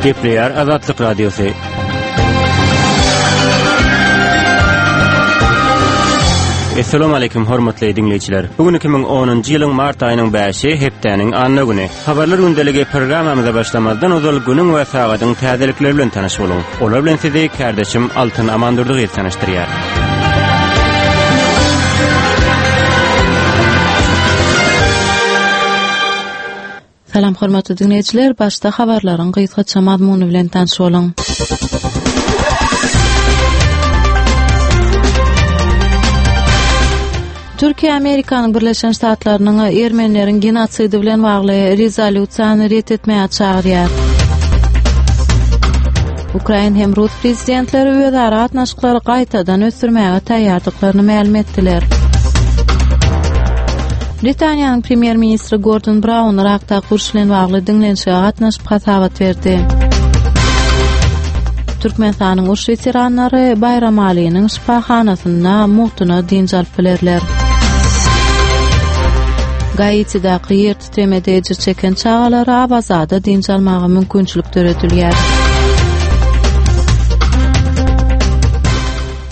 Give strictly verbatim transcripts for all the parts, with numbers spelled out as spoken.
Gepleýär Azatlyk Radiosy. Essalamu aleýkum hormatly diňleýjiler. Bu gün iki müň onunjy ýylyň mart aýynyň bäşi, hepdäniň anna güni. Habarlar gündeligi programmamyza başlamazdan ozal günüň we sagadyň täzelikleri bilen tanyş boluň. Olar bilen sizi kärdeşim Altyn Amandurdy gyz tanyşdyrýar. Salam hormatly diňleýjiler, başda habarlaryň gysgaça mazmuny bilen tanyş boluň. Türkiýe Amerikanyň Birleşen Ştatlarynyň ermenileriň genotsidi bilen bagly rezolýusiýany ret etmäge çagyrýar. Ukrain hem rus prezidentleri özara gatnaşyklary gaýtadan ösdürmäge taýýardyklaryny mälim etdiler. Britaniýanyň premýer-ministri Gordon Braun Yrakdaky uruş bilen bagly diňlenişige gatnaşyp hasabat berdi. Türkmenistanyň uruş weteranlary Baýramalynyň şypahanasynda mugtuna dynç alyp bilerler. Gaitidaky ýer titremede ejir çeken çagalara Awazada dynç almaga mümkinçilik döredilýär.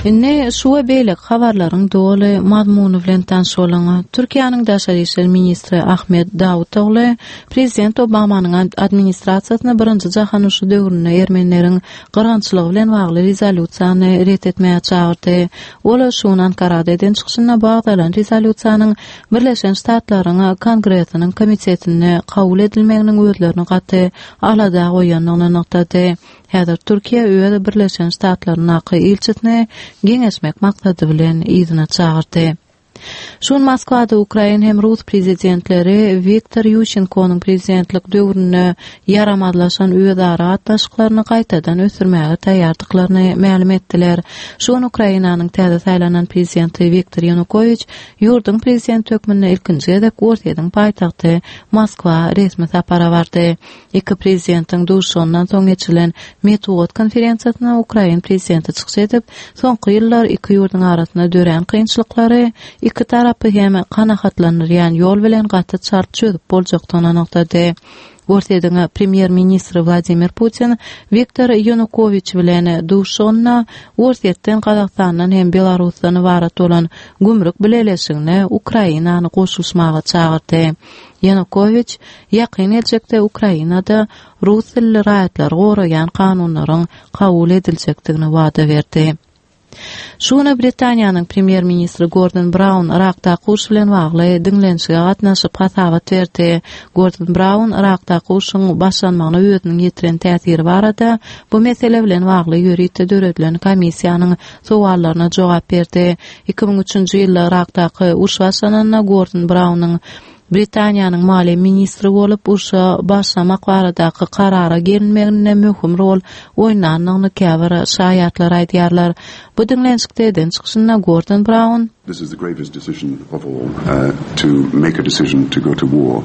Indi şu we beýleki habarlaryň doly mazmuny bilen tanyş boluň. Türkiýäniň daşary işler ministri Ahmet Dawutogly prezident Obamanyň administrasiýasyna Birinji jahan urşy döwründe ermenileriň gyrgynçylygy bilen bagly rezolýusiýany ret etmäge çagyrdy. Ol şu gün Ankarada eden çykyşynda bu agzalan rezolýusiýanyň Birleşen Ştatlaryň Kongresiniň komitetinde kabul edilmeginiň özlerini gaty alada goýandygyny nygtady. Häzir Türkiýe öz Birleşen Ştatlaryndaky ilçisini geňeşmek maksady bilen yzyna çagyrdy. Şu gün Moskwada ukrain hem rus prezidentleri Wiktor Ýuşenkonyň prezidentlik döwründe ýaramazlaşan özara gatnaşyklaryny gaýtadan ösdürmäge taýýardyklaryny mälim etdiler. Şu gün Ukrainanyň täze saýlanan prezidenti Wiktor Ýanukowiç ýurduň prezidenti hökmünde ilkinji gezek Orsýetiň paýtagty Moskwa resmi sapara bardy. Iki prezidentiň duşuşygyndan soň geçirilen metbugat konferensiýasynda ukrain prezidenti çykyş edip, soňky ýyllar iki ýurduň arasynda dörän kynçylyklary iki tarapy hem kanagatlandyrýan ýol bilen gaty çalt çözüp boljakdygyny nygtady. Orsýetiň premýer-ministri Wladimir Putin Wiktor Ýanukowiç bilen duşuşygynda Orsýetden, Gazagystandan hem Belarusdan ybarat bolan gümrük bileleşigine Ukrainany goşulyşmaga çagyrdy. Ýanukowiç ýakyn geljekde Ukrainada rus dilli raýatlary goraýan kanunlaryň kabul ediljekdigini wada berdi. Şu güne Britaniýanyň premýer-ministri Gordon Braun Yrakdaky uruş bilen bagly diňlenişige gatnaşyp hasabat berdi. Gordon Braun Yrakdaky urşuň başlanmagyna özüniň ýetiren täsiri barada bu mesele bilen bagly ýörite döredilen komissiýanyň sowallaryna jogap berdi. Iki müň üçünji ýylda Yrakdaky uruş başlananda Gordon Braunyň Britaniýanyň maliýe ministri bolup urşa başlamak baradaky karara gelinmeginde möhüm rol oýnandygyny käbir şaýatlar aýdýarlar. Bu diňlenişikde eden çykyşynda Gordon Braun, This is the gravest decision of all, to make a decision to go to war.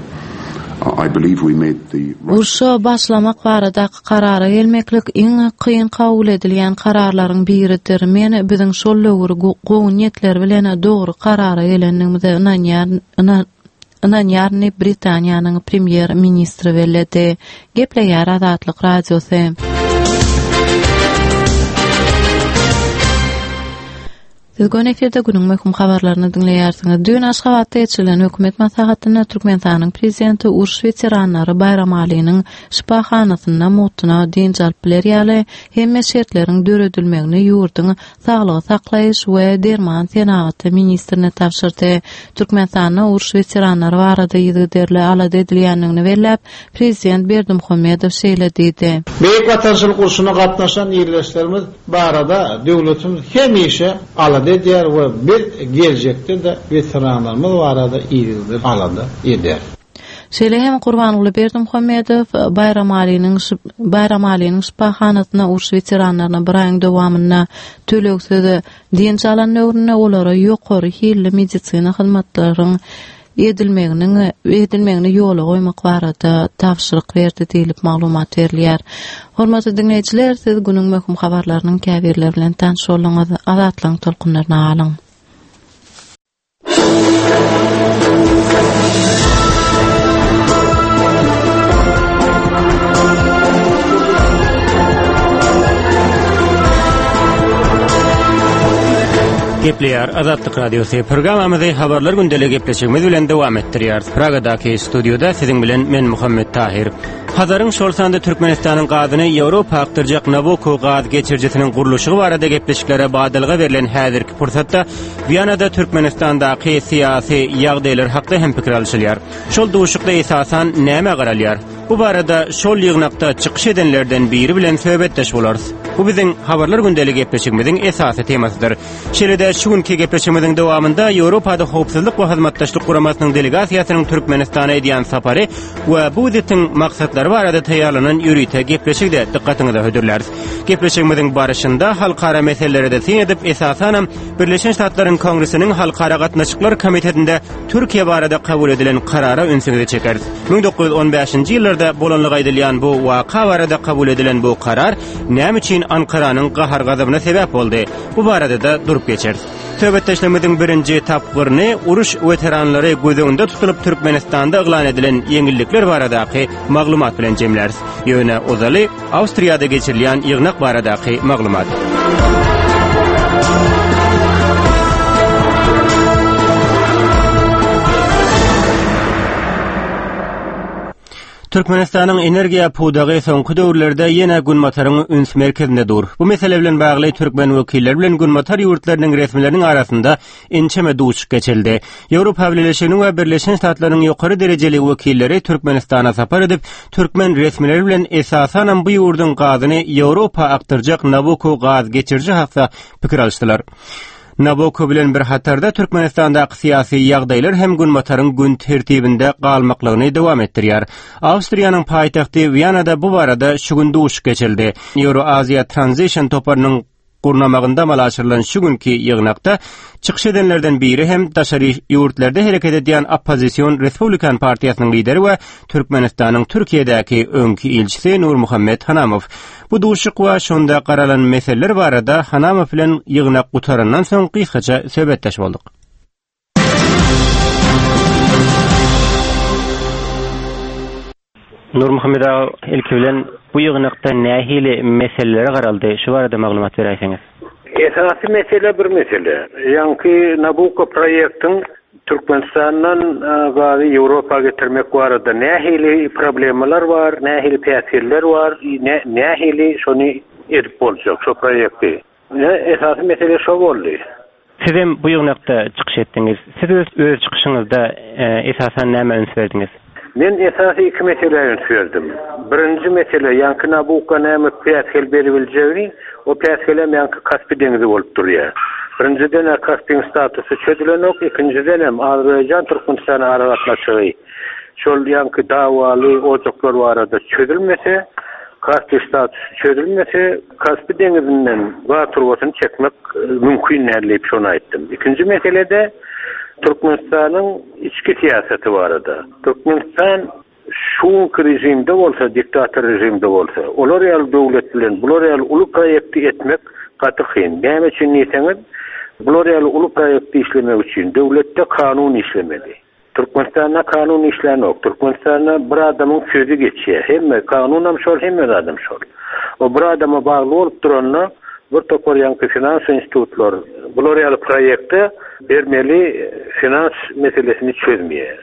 I believe we made the right Urşa başlamak baradaky karara gelmeklik iň kyn kabul edilýän kararlaryň biridir. Men biziň şol döwür gowy niýetler bilen dogry karara gelendigimize ynanýaryn, ynanýaryn diýip, Britaniýanyň premýer-ministri belledi. Gepleýär Azatlyk Radiosy. Siz göni efirde günüň möhüm habarlaryny diňleýärsiňiz. Düýn Aşgabatda geçirilen hökümet maslahatynda Türkmenistanyň Prezidenti uruş weteranlary Baýramalynyň şypahanasynda mugtuna dynç alyp biler ýaly hemme şertleriň döredilmegini ýurduň saglygy saklaýyş we derman senagaty ministrine tabşyrdy. Türkmenistanda uruş weteranlary barada yzygiderli alada edilýändigini belläp, prezident Berdimuhamedow şeýle diýdi. Beýik Watançylyk urşuna gatnaşan ildeşlerimiz barada döwletimiz hemişe alada edýär we biz geljekde-de weteranlarymyz barada yzygider alada ederis. Şeýle hem Gurbanguly Berdimuhamedow Baýramalynyň Baýramalynyň şypahanasynda uruş weteranlaryna bir aýyň dowamynda tölegsiz dynç alan döwründe olara ýokary hilli medisina hyzmatlaryň edilmeginiň edilmegini ýola goýmak barada tabşyryk berdi diýlip maglumat berilýär. Hormatly diňleýjiler, siz günüň möhüm habarlarynyň käbirleri bilen tanyş bolduňyz. Azatlygyň tolkunlaryna galyň. Gepleýär Azatlyk Radiosy programmamyzy habarlar gündeligi gepleşigimiz bilen dowam etdirýär. Pragadaky studioda siziň bilen men Muhammet Tahir. Hazaryň şol sanda Türkmenistanyň gazyny Ýewropa akdyrjak Nabucco gaz geçirijisiniň gurluşygy barada gepleşiklere badalga berlen häzirki pursatda Wiýanada Türkmenistandaky syýasy ýagdaýlar hakda hem pikir alşylýar. Şol duşukda esasan näme garalýar? Bu barada şol ýygnakda çykyş edenlerden biri bilen söhbetdeş bolarys. Bu biziň habarlar gündeligi gepleşigimiziň esasy temasydyr. Şeýle-de şu günki gepleşigimiziň dowamynda Ýewropada howpsuzlyk we hyzmatdaşlyk guramasynyň delegasiýasynyň Türkmenistana edýän sapary we bu wizitiň maksatlary barada taýýarlanan ýörite gepleşigi dykgatyňyza hödürläris. Gepleşigimiziň barışynda halkara meselelere syn edip, esasanam Birleşen Ştatlaryň Kongresiniň Halkara Gatnaşyklar Komitetinde Türkiýe barada kabul edilen karara ünsüňizi çekeris. müň dokuz ýüz on bäşinji ýyllarda bolanlygy aýdylýan bu waka barada kabul edilen bu karar näme üçin Ankaranyň gahar-gazabyna sebäp boldy? Bu barada da durup geçeris. Söhbetdeşligimiziň birinji tapgyryny uruş weteranlary göz öňünde tutulyp Türkmenistanda yglan edilen ýeňillikler baradaky maglumat bilen jemläris. Ýöne ozaly Awstriýada geçirilýän ýygnak baradaky maglumat. Türkmenistanyň energiýa pudagy soňky döwürlerde ýene Günbataryň üns merkezinde dur. Bu mesele bilen bagly türkmen wekilleri bilen Günbatar ýurtlarynyň resmileriniň arasynda ençeme duşuşyk geçirildi. Ýewropa Bileleşiginiň we Birleşen Ştatlaryň ýokary derejeli wekilleri Türkmenistana sapar edip, türkmen resmileri bilen esasanam bu ýurduň gazyny Ýewropa akdyrjak Nabucco gaz geçiriji hakda pikir alyşdylar. Nabucco bilen bir hatarda Türkmenistandaky syýasy ýagdaýlar hem Günbataryň gün tertibinde galmaklygyny dowam etdirýär. Awstriýanyň paýtagty Wiýanada bu barada şu gün duşuşyk geçirildi. Euro-Aziýa Transition toparynyň gurnamagynda amala aşyrylan şu günki ýygnakda çykyş edenlerden biri hem daşary ýurtlarda hereket edýän oppozision Respublikan partiýasynyň lideri we Türkmenistanyň Türkiýedäki öňki ilçisi Nurmuhammet Hanamow. Bu duşuşyk we şonda garalan meseleler barada Hanamow bilen ýygnak gutarandan soň gysgaça söhbetdeş bolduk. Nurmuhammet aga, ilki bilen bu ýygnakda nähili meselelere garaldy? Şu barada maglumat beräýseňiz. Esasy mesele bir mesele. Ýaňky Nabucco proýektiň Türkmenistandan, e, gazy Ýewropa getirmek barada nähili problemalar bar, nähili päsgeller bar, nä-, nähili şony edip boljak şu proýekti. Ne, esasy mesele şo boldy. Siz hem bu ýygnakda çykyş etdiňiz. Siz öz, öz çykyşyňyzda, e, esasan näme üns berdiňiz? Men esasy iki meselä üns berdim. Birinji mesele, ýaňky Nabucco näme päsgel beribiljegini, o päsgelem ýaňky Kaspi deňizi bolup durýar. Birinjiden Kaspiň statusy çözülenok, ikinjiden hem Azerbaýjan Türkmenistan aragatnaşygy şol ýaňky dawaly ojaklar barada çözülmese, Kaspi statusy çözülmese, Kaspi deňizinden gaz turbasyny çekmek, e, mümkin däl diýip şony aýtdym. Ikinji meselede Türkmenistanyň içki syýasaty barada. Türkmenistan şu rejimde bolsa, diktator rejimde bolsa, olar ýaly döwlet bilen bular ýaly uly proýekti etmek gaty kyn. Näme üçin diýseňiz, bular ýaly uly proýekti işlemek üçin döwletde kanun işlemeli. Türkmenistanda kanun işlänok. Türkmenistanda bir adamyň sözi geçýär. Hemme kanunam şol, hemme adam şol. O bir adama bagly bolup duranda bir topar ýaňky finans institutlar bular ýaly proýekte bermeli finans meselesini çözmeýär.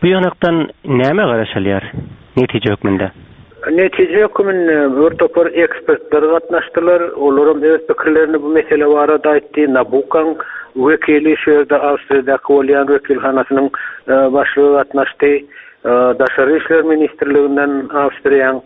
Bu ýygnakdan näme garaşylýar netije hökmünde? Netije hökmünde bir topar ekspertler gatnaşdylar. Olaram öz pikirlerini bu mesele barada aýtdy. Nabucco'ň wekili şu ýerde Awstriýadaky bolýan wekilhanasynyň, e, başlygy gatnaşdy. E, Daşary işler ministrliginden Awstriýanyň,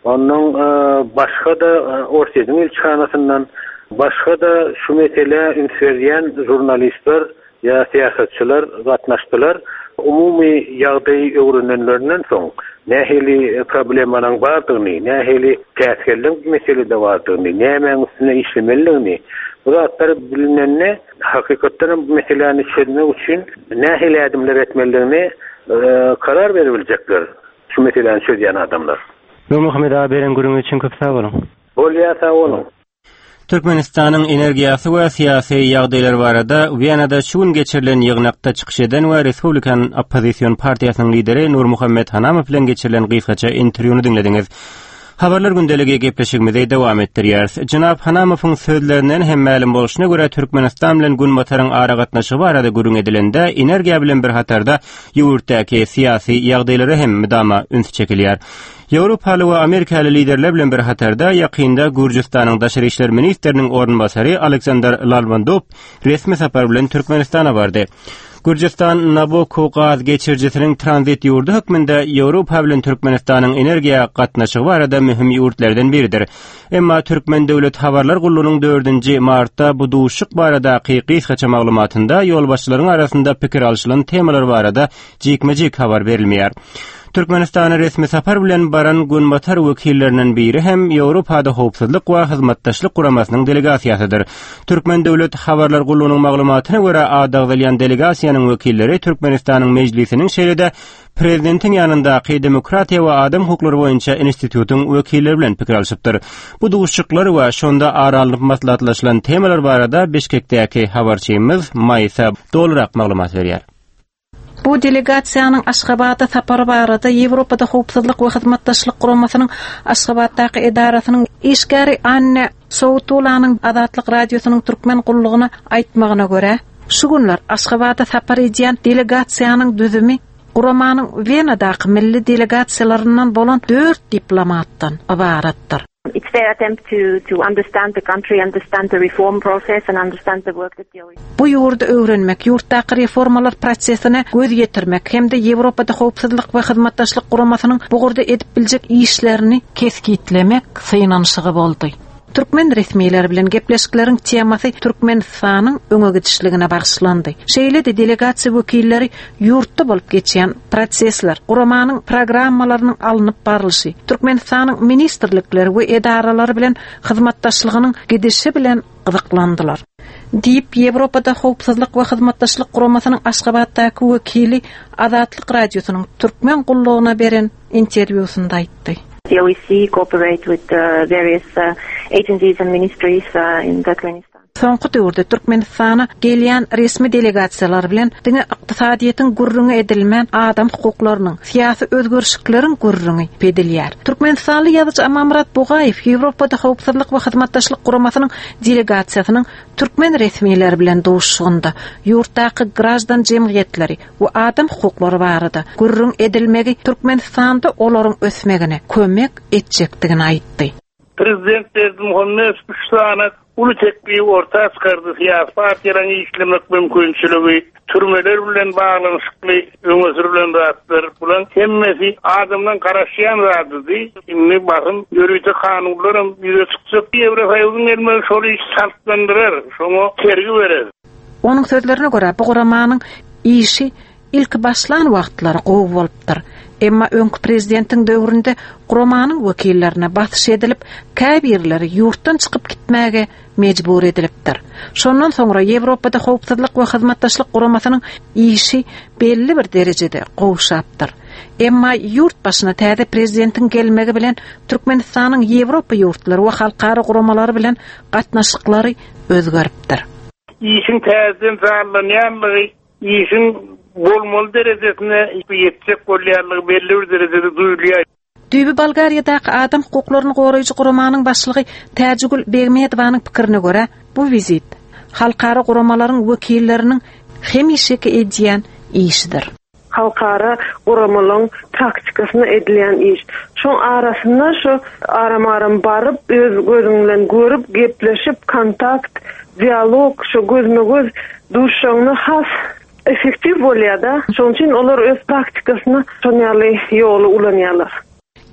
ondan, e, başga da, e, Orsýetiň ilçihanasyndan, başga da şu mesele üns berýän jurnalistler ýa syýasatçylar gatnaşdylar. Umumy ýagdaýy öwrenenlerinden soň nähili problemanyň bardygyny, nähili päsgelliň meselede bardygyny, nämäň üstüne işlemelidigini bu zatlar bilinende hakykatdan hem bu meseläni çözmek üçin nähili ädimler etmelidigini, e, karar berebilecekler şu meseläni çözýän adamlar. Nurmuhammet aga, beren gürrüňiz üçin köp sag boluň. Bolýar, sag boluň. Türkmenistanyň energiýasy we syýasy ýagdaýlary barada Wiýanada şu gün geçirilen ýygnakda çykyş eden we Respublikan oppozision partiýasynyň lideri Nurmuhammet Hanamow bilen geçirilen gysgaça interwýuny diňlediňiz. Habarlar gündeligi gepleşigimizi dowam etdirýäris. Jenap Hanamowyň sözlerinden hem mälim bolşuna görä Türkmenistan bilen Günbataryň aragatnaşygy barada gürrüň edilende energiýa bilen bir hatarda ýurtdaky syýasy ýagdaýlara hem müdama üns çekilýär. Ýewropaly we Amerikaly liderler bilen bir hatarda ýakynda Gürjüstanyň Daşary işler ministriniň orunbasary Aleksandr Lalbandov resmi sapar bilen Türkmenistana bardy. Gürjüstan Nabucco gaz geçirijisiniň tranzit ýurdy hökmünde Ýewropa bilen Türkmenistanyň energiýa gatnaşygy barada möhüm ýurtlardan biridir. Emma Türkmen döwlet habarlar gullugynyň dördünji martda bu duşuşyk baradaky gysgaça maglumatynda ýolbaşçylaryň arasynda pikir alşylan temalar barada jikme-jik habar berilmeýär. Türkmenistana resmi sapar bilen baran Günbatar wekillerinden biri hem Ýewropada howpsuzlyk we hyzmatdaşlyk guramasynyň delegasiýasydyr. Türkmen döwlet habarlar gullugynyň maglumatyna görä adagzalýan delegasiýanyň wekilleri Türkmenistanyň mejlisiniň şeýle-de prezidentiň ýanyndaky demokratiýa we adam hukuklary boýunça institutyň wekilleri bilen pikir alşypdyr. Bu duşuşyklar we şonda ara alnyp maslahatlaşylan temalar barada Bişkekdäki habarçymyz Maýsa dolurak maglumat berýär. Bu delegasiýanyň Aşgabatda sapary barada Ýewropada howpsuzlyk we hyzmatdaşlyk guramasynyň Aşgabatdaky edarasynyň işgäri Anne Soutulanyň Azatlyk radiosynyň türkmen gullugyna aýtmagyna görä, şu günler Aşgabatda sapar edýän delegasiýanyň düzümi guramanyň Wenadaky milli delegasiýalaryndan bolan dört diplomatdan ybaratdyr. It's their attempt to, to understand the country, understand the reform process and understand the work that the O E C Bu ýurdy öwrenmek, ýurtdaky reformalar prosesine göz ýetirmek hem-de Ýewropada howpsuzlyk we hyzmatdaşlyk guramasynyň bu ugurda edip biljek işlerini kesgitlemek synanyşygy boldy. Türkmen resmileri bilen gepleşikleriň temasy Türkmenistanyň öňe gidişligine bagyşlandy. Şeýle-de delegasiýa wekilleri ýurtda bolup geçýän prosesler, guramanyň programmalarynyň alnyp barlyşy, Türkmenistanyň ministrlikleri we edaralary bilen hyzmatdaşlygynyň gidişi bilen gyzyklandylar. Diýip, Ýewropada howpsuzlyk we hyzmatdaşlyk guramasynyň Aşgabatdaky wekili Azatlyk radiosynyň türkmen gullugyna beren interwýusynda aýtdy. The O E C cooperate with the various, uh, agencies and ministries, uh, in Turkmenistan. Soňky döwürde Türkmenistana gelýän resmi delegasiýalar bilen diňe ykdysadyýetiň gürrüňi edilmän adam hukuklarynyň, syýasy özgerişlikleriň gürrüňi edilýär. Türkmenistanly ýazyjy Amanmyrat Bugaýew Ýewropada howpsuzlyk we hyzmatdaşlyk guramasynyň delegasiýasynyň türkmen resmileri bilen duşuşygynda ýurtdaky grajdan jemgyýetleri we adam hukuklary barada gürrüň edilmegi Türkmenistanda olaryň ösmegine kömek etjekdigini aýtdy. Prezident Berdimuhamedow üç sany uly teklifi orta çykardy. Siyasi partiýalaryň işlemek mümkinçiligi, türmeler bilen baglanyşykly öňe sürülen zatlar bulan hemmesi adamdan garaşýan zadydy. Indi basym ýörite kanunlaram ýüze çykjak. Ýewrosoýuzyň gelmegi şol iş çaltlandyrar, şoňa tergi berer. Onuň sözlerine görä bu guramanyň işi ilki başlan wagtlary gowy bolupdyr. Emma öňki prezidentiň döwründe guramanyň wekillerine basyş edilip, käbirleri ýurtdan çykyp gitmäge mejbur edilipdir. Şondan soňra Ýewropada howpsuzlyk we hyzmatdaşlyk guramasynyň işi belli bir derejede gowşapdyr. Emma ýurt başyna täze prezidentiň gelmegi bilen Türkmenistanyň Ýewropa ýurtlary we halkara guramalary bilen gatnaşyklary özgeripdir. Işiň täzeden janlanýanlygy, işiň bolmaly derejesine ýetjek bolýanlygy belli bir derejede duýulýar. Düýbi Bolgariýadaky adam hukuklaryny goraýjy guramanyň başlygy Täjigül Begmedowanyň pikirine görä, bu wizit halkara guramalaryň wekilleriniň hemişeki edýän işidir. Halkara guramalaryň taktikasyna edilýän iş. Şoň arasynda şu aram-aram baryp, öz gözüň bilen görüp, gepleşip, kontakt, dialog, şu gözme-göz duşuşygyny has effektiv bolýar da. Şoň üçin olar öz praktikasyna şon ýaly ýoly ulanýarlar.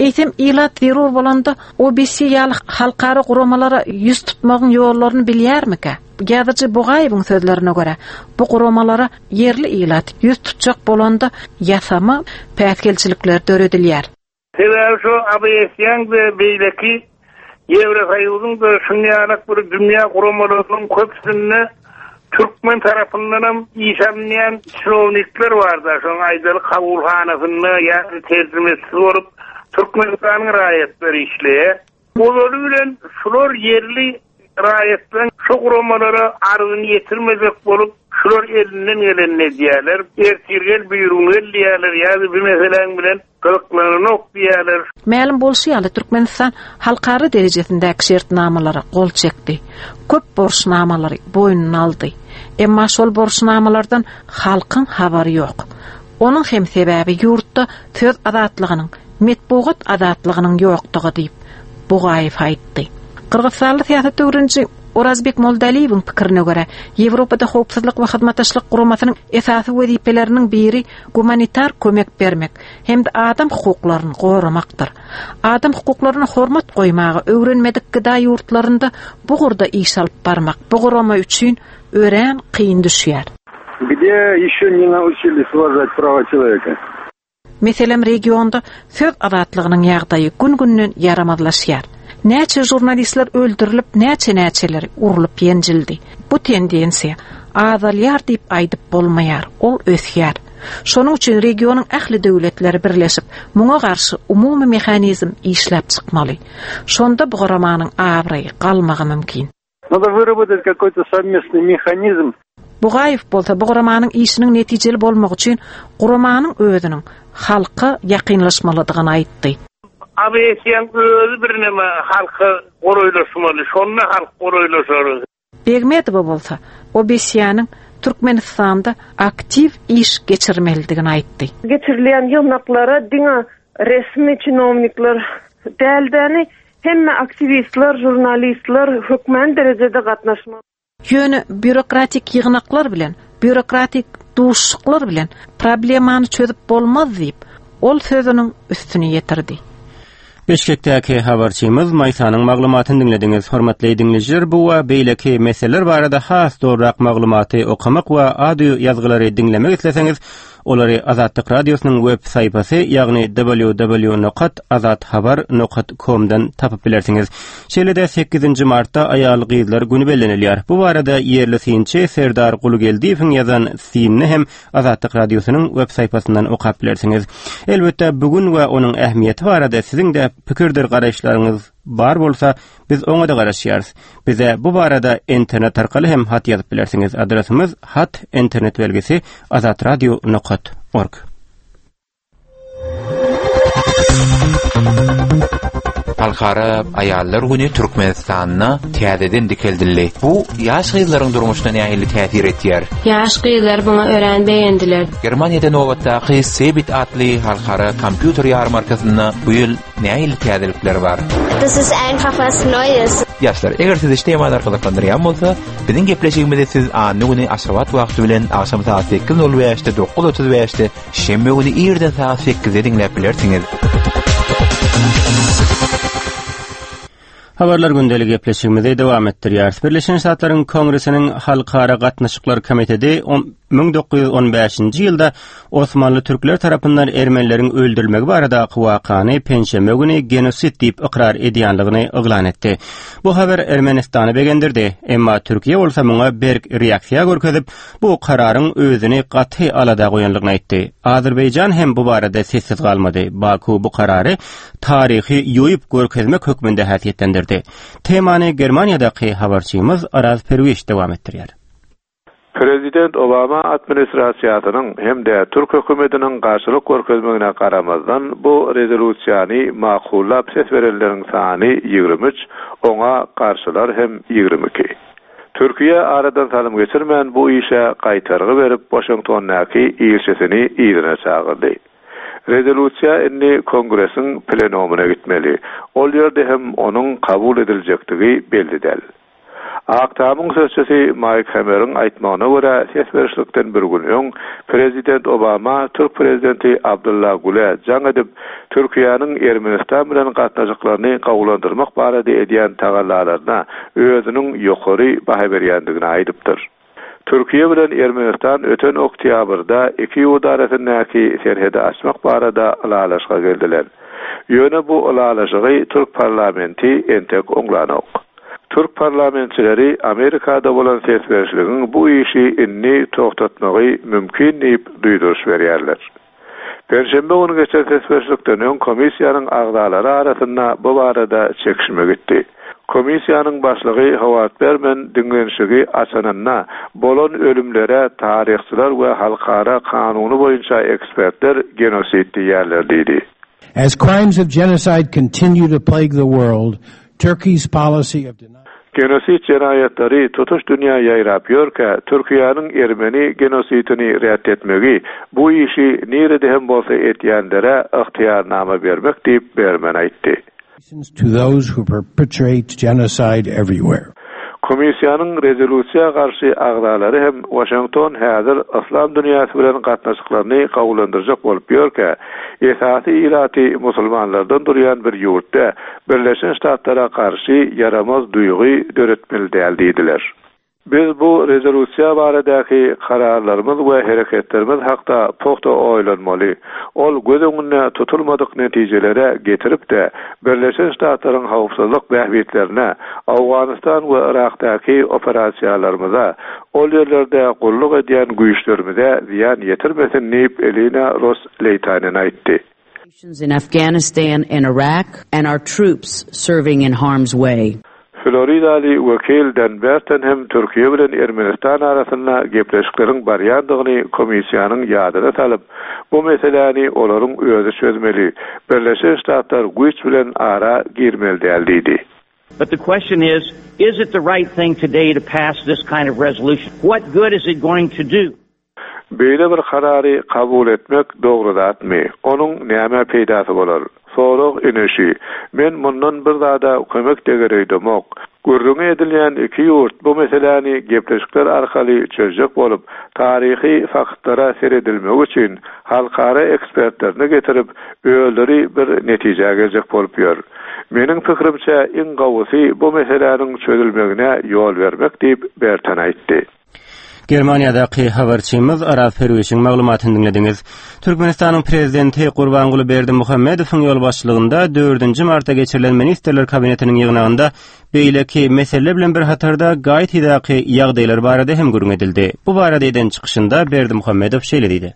Eýsem ilat zerur bolanda O B S ýaly halkara guramalara ýüz tutmagyň ýollaryny bilýärmikä? Ýazyjy Bugaýewiň sözlerine görä, bu guramalara ýerli ilat ýüz tutjak bolanda ýasama päsgelçilikler döredilýär. Sebäbi şu A B S-iň we beýleki Ýewrosoýuzyň we şunýalak bir dünýä guramalarynyň köpüsinde Türkmen tarapyndan hem iş alynýan çinownikler bardy. Şoň aýdaly kabulhanasynda ýa terjimesi bolup Türkmenistanyň raýatlary işleýär. Olary bilen şular ýerli Raýatlaryň şu guramalara arzyny ýetirmejek bolup, şular elinden gelenini edýärler. Ertir gel, birigün gel diýýärler, ýa-da bir meseläň bilen gyzyklananok diýýärler. Mälim bolşy ýaly Türkmenistan halkara derejesindäki şertnamalara gol çekdi. Köp borçnamalary boýnuna aldy. Emma şol borçnamalardan halkyň habary ýok. Onuň hem sebäbi ýurtda söz azatlygynyň, metbugat azatlygynyň ýokdugy diýip, Bugaýew aýtdy. Gyrgyzstanly syýasat öwreniji Orazbek Moldaliýewiň pikirine görä, Ýewropada howpsuzlyk we hyzmatdaşlyk guramasynyň esasy wezipeleriniň biri gumanitar kömek bermek hem-de adam hukuklaryny goramakdyr. Adam hukuklaryna hormat goýmagy öwrenmedik gıda ýurtlarynda bu gurda iş alyp barmak bu gurama üçin örän kyn düşýär. Где еще не научились уважать права человека? Meselem regionda söz azatlygynyň ýagdaýy gün-günden ýaramazlaşýar. Näçe jurnalistler öldürilip, näçe näçeler urlup ýenjildi. Bu tendensiýa azalýar diýip aýdyp bolmaýar, ol ösýär. Şonuň üçin regionyň ähli döwletleri birleşip, muňa garşy umumy mehanizm işläp çykmaly. Şonda bu guramanyň abraýy galmagy mümkin. Надо выработать какой-то совместный механизм. Bugaýew bolsa bu guramanyň işiniň netijeli bolmagy üçin guramanyň özüniň halka ýakynlaşmalydygyny aýtdy. ABS-iň özi birneme halka golaýlaşmaly, şonda halk golaýlaşar. Begmedowa bolsa OBSE-niň Türkmenistanda aktiw iş geçirmelidigini aýtdy. Geçirilýän ýygnaklara diňe resmi çinovnikler däldäni hemme aktiwistler, jurnalistler hökmän derejede gatnaşmaly. Ýöne býurokratik ýygnaklar bilen, býurokratik duşuşyklar bilen problemany çözüp bolmaz diýip, ol sözüniň üstüni ýetirdi. Bişkekdäki habarçymyz Maýsanyň maglumatyny diňlediňiz. Hormatly diňleýjiler, bu we beýleki meseleler barada has dogryrak maglumaty okamak we audio ýazgylary diňlemek isleseňiz, olary Azatlyk Radiosynyň web sahypasy, ýagny w w w nokta azathabar nokta com-dan tapyp bilersiňiz. Şeýle-de sekizinji martda aýal gyzlar güni bellenilýär. Bu barada ýerli synçy Serdar Gulugeldiýewiň ýazan synyny hem Azatlyk Radiosynyň web sahypasyndan okap bilersiňiz. Elbetde bu gün we onuň ähmiýeti barada siziň de pikirdir garaýyşlaryňyz bar bolsa, biz oňa da garaşýarys. Bize bu barada internet arkaly hem hat ýazyp bilersiňiz. Adresimiz hat internet belgisi azatradio nokta org. Halkara aýallar güni Türkmenistanda täzeden dikeldildi. Bu ýaş gyzlaryň durmuşyna nähili täsir etýär? Ýaş gyzlar buňa örän begendiler. Germaniýada nobatdaky Cebit atly halkara kompýuter ýarmarkasynda bu ýyl nähili täzelikler bar? Das ist einfach was Neues. Ýaşlar, eger sizi şu temalar gyzyklandyrýan bolsa, biziň gepleşigimizi siz anna güni Aşgabat wagty bilen agşam saat sekiz nol bäşde, dokuz otuz bäşde, şenbe güni irden saat sekizde diňläp bilersiňiz. Habarlar gündelik gepleşigimizi dowam etdirýäris. Birleşen Ştatlaryň Kongresiniň Halkara Gatnaşyklar Komiteti müň dokuz ýüz on bäşinji ýylda Osmanly türkler tarapyndan ermenileriň öldürilmegi baradaky wakany penşenbe güni genosid diýip ykrar edýänligini yglan etdi. Bu habar Ermenistany begendirdi. Emma Türkiýe bolsa muňa berk reaksiýa görkezip, bu kararyň özüni gaty alada goýanlygyny aýtdy. Azerbaýjan hem bu barada sessiz galmady. Baku bu karary taryhy ýoýup görkezmek hökmünde häsiýetlendirdi. Temany Germaniýadaky habarçymyz Araz Perwiş dowam etdirýär. Prezident Obama administrasiýasynyň hem de Türk hökümetiniň garşylyk görkezmegine garamazdan bu rezolýusiýany makullap ses berenleriň sany ýigrimi üç, oňa garşylar hem ýigrimi iki. Türkiýe aradan salym geçirmän bu işe gaýtargy berip Washingtondaky ilçisini yzyna çagyrdy. Rezolýusiýa indi Kongresiň plenumyna gitmeli. Ol ýerde hem onuň kabul ediljekdigi belli däl. Ak Tamyň sözçüsi Mike Hammeriň aýtmagyna görä ses berişlikden bir gün öň Prezident Obama Türk prezidenti Abdullah Gül'e jaň edip Türkiýäniň Ermenistan bilen gatnaşyklaryny gawulandyrmak barada edýän tagallalaryna özüniň ýokary baha berýändigini aýdypdyr. Türkiýe bilen Ermenistan öten oktýabrda iki ýurt arasyndaky serhedi açmak barada ylalaşyga geldiler. Ýöne bu ylalaşygy Türk parlamenti entek oňlanok. Türk parlamentçileri Amerikada bolan ses berişligiň bu işi indi togtatmagy mümkin diýip duýduryş berýärler. Perşembe günü geçen ses berişlikden öň komissiýanyň agzalary arasynda bu barada çekişme gitdi. Komissiýanyň başlygy Howard Berman diňlenişigi açanynda bolan ölümlere taryhçylar we halkara kanuny boýunça ekspertler genosid diýerler diýdi. As crimes of genocide continue to plague the world, Turkey's policy of Genosid jenaýatlary tutuş dünýä ýaýrap ýörkä, Türkiýäniň ermeni genosidini ret etmegi bu işi nirede hem bolsa etýänlere ygtyýarnama bermek diýip Berman aýtdy. to those who perpetrate genocide everywhere. Komissiýanyň rezolýusiýa garşy agzalary hem Waşington häzir yslam dünýäsi bilen gatnaşyklaryny gowulandyrjak bolup ýörkä, esasy ilaty musulmanlardan durýan bir ýurtda Birleşen Ştatlara garşy ýaramaz duýgy döretmeli däl diýdiler. Biz bu rezolýusiýa baradaky kararlarymyz we hereketlerimiz hakda pugta oýlanmaly. Ol göz öňünde tutulmadyk netijelere getirip-de Birleşen Ştatlaryň howpsuzlyk bähbitlerine, Owganystan we Irakdaky operasiýalarymyza, ol ýerlerde gulluk edýän güýçlerimize zyýan ýetirmesin diýip Elina Ros-Leýtanen aýtdy. in Afghanistan and Iraq and our troops serving in harm's way. Floridaly wekil Dan Burton hem Türkiýe bilen Ermenistan arasynda gepleşikleriň barýandygyny komissiýanyň ýadyna salyp, bu meseläni olaryň özi çözmeli. Birleşen Ştatlar güýç bilen ara girmeli däl diýdi. But the question is, is it the right thing today to pass this kind of resolution? What good is it going to do? Beýle bir karary kabul etmek dogry zatmy? Onuň näme peýdasy bolar? Sorag ine şü. Men mundan bir zada kömek deger öýdemok. Gürrüňi edilýän iki ýurt bu meseläni gepleşikler arkaly çözjek bolup, taryhy faktlara seredilmegi üçin halkara ekspertlerini getirip, özleri bir netijä geljek bolup ýör. Meniň pikirimçe iň gowusy bu meseläniň çözülmegine ýol bermek diýip Burton aýtdy. Germaniýadaky habarçymyz Araz Perwişiň maglumatyny diňlediňiz. Türkmenistanyň prezidenti Gurbanguly Berdimuhamedowyň ýolbaşçylygynda dördünji martda geçirilen Ministrler Kabinetiniň ýygnagynda beýleki mesele bilen bir hatarda Gaitidaky ýagdaýlar barada hem gürrüň edildi. Bu barada eden çykyşynda Berdimuhamedow şeýle diýdi.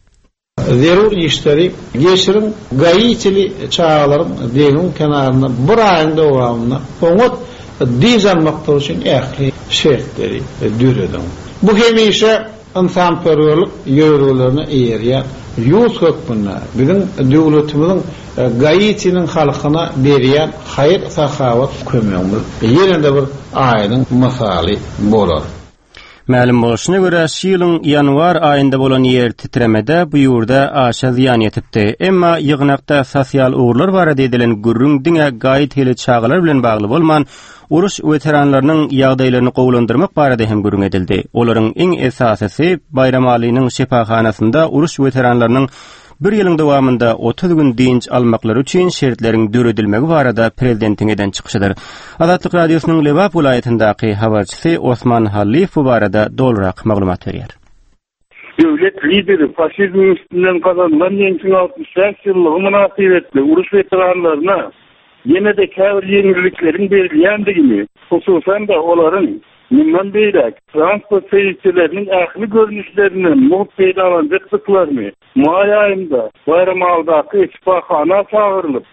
Zerur işleri geçiriň Gaitili çagalaryň deňiň kenarynda bir aýyň dowamynda oňat dynç almakları üçin ähli şertleri dörediň. Bu hemişe ynsanperwerlik ýörelgelerine eýerýän ýurt hökmünde biziň döwletimiziň Gaitiniň halkyna berýän haýyr sahawat kömegimiz ýene-de bir aýdyň mysaly bolar. Mälim bolşuna görä, şu ýylyň ýanwar aýynda bolan ýer titremede bu ýurda aşa zyýan ýetipdi. Emma ýygnakda sosial ugurlar barada edilen gürrüň diňe Gaitili çagalar bilen bagly bolman, uruş weteranlarynyň ýagdaýlaryny gowulandyrmak barada hem gürrüň edildi. Olaryň iň esasysy Baýramalynyň şypahanasynda uruş weteranlarynyň bir ýylyň dowamynda otuz gün dynç almaklary üçin şertleriň döredilmegi barada prezidentiň eden çykyşydyr. Azatlyk Radiosynyň Lebap welaýatyndaky habarçysy Osman Hallyýew bu barada dolurak maglumat berýär. Döwlet lideri faşizmiň üstünden gazanylan ýeňşiň altmyş bäş ýyllygy mynasybetli uruş weteranlaryna ýene-de käbir ýeňillikleriň berilýändigini, hususan-da olaryň mundan beýläk transport serişdeleriniň ähli görnüşlerinden mugt peýdalanjakdyklaryny maý aýynda Baýramalydaky şypahana çagyrylyp,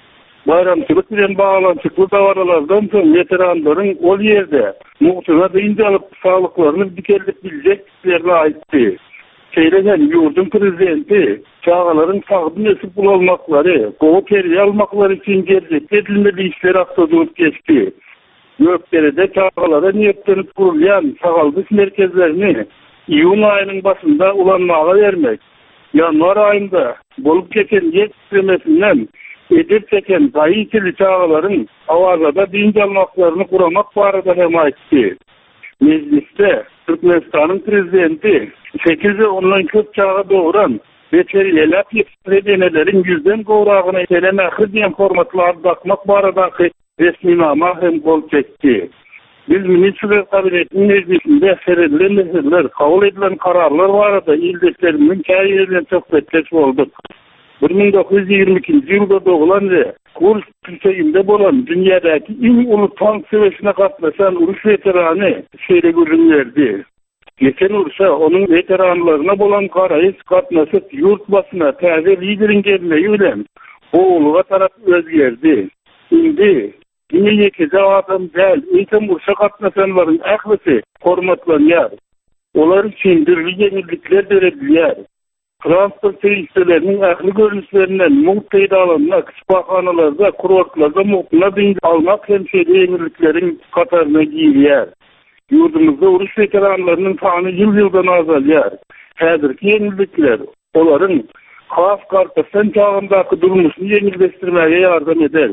baýramçylyk bilen baglanyşykly dabaralardan soň weteranlaryň ol ýerde mugtuna dynç alyp saglyklaryny dikeldip biljekdiklerini aýtdy. Şeýle hem ýurduň prezidenti çagalaryň sagdyn ösüp ulalmaklary, gowy terbiýe almaklary üçin geljekde edilmeli işler hakda durup geçdi. Gökderede çagalara niýetlenip gurulýan sagaldyş merkezlerini iýun aýynyň başynda ulanmaga bermek, ýanwar aýynda bolup geçen ýer titremesinden ejir çeken Gaitili çagalaryň Awazada dynç almaklaryny guramak barada hem aýtdy. Mejlisde Türkmenistanyň prezidenti sekiz we ondan köp çaga dogran we terbiýeläp ýetişdiren eneleriň ýüzden gowragyna Ene mähri diýen hormatly ady dakmak baradaky resminama hem gol çekdi. Biz Ministrler Kabinetiniň mejlisinde seredilen meseleler, kabul edilen kararlar barada ildeşlerimiziň käbiri bilen söhbetdeş bolduk. bir müň dokuz ýüz ýigrimi ikinji ýylda doglan we Kursk tüfeginde bolan dünýädäki iň uly tank söweşine gatnaşan uruş weterany şeýle gürrüň berdi. Geçen urşa onuň weteranlaryna bolan garaýyş gatnaşyk ýurt başyna täze lideriň gelmegi bilen gowulyga tarap özgerdi. Indi Diňe ýekeje adam däl, eýsem urşa gatnaşanlaryň ählisi hormatlanýar. Olar üçin dürli ýeňillikler döredilýär. Transport serişdeleriniň ähli görnüşlerinden mugt peýdalanmak, şypahanalarda, kurortlarda mugtuna dynç almak hem şeýle ýeňillikleriň hataryna girýär. Ýurdumyzda uruş weteranlarynyň sany ýyl-ýyldan azalýar. Häzirki ýeňillikler olaryň has gartaşan çagyndaky durmuşyny ýeňilleşdirmäge ýardam eder.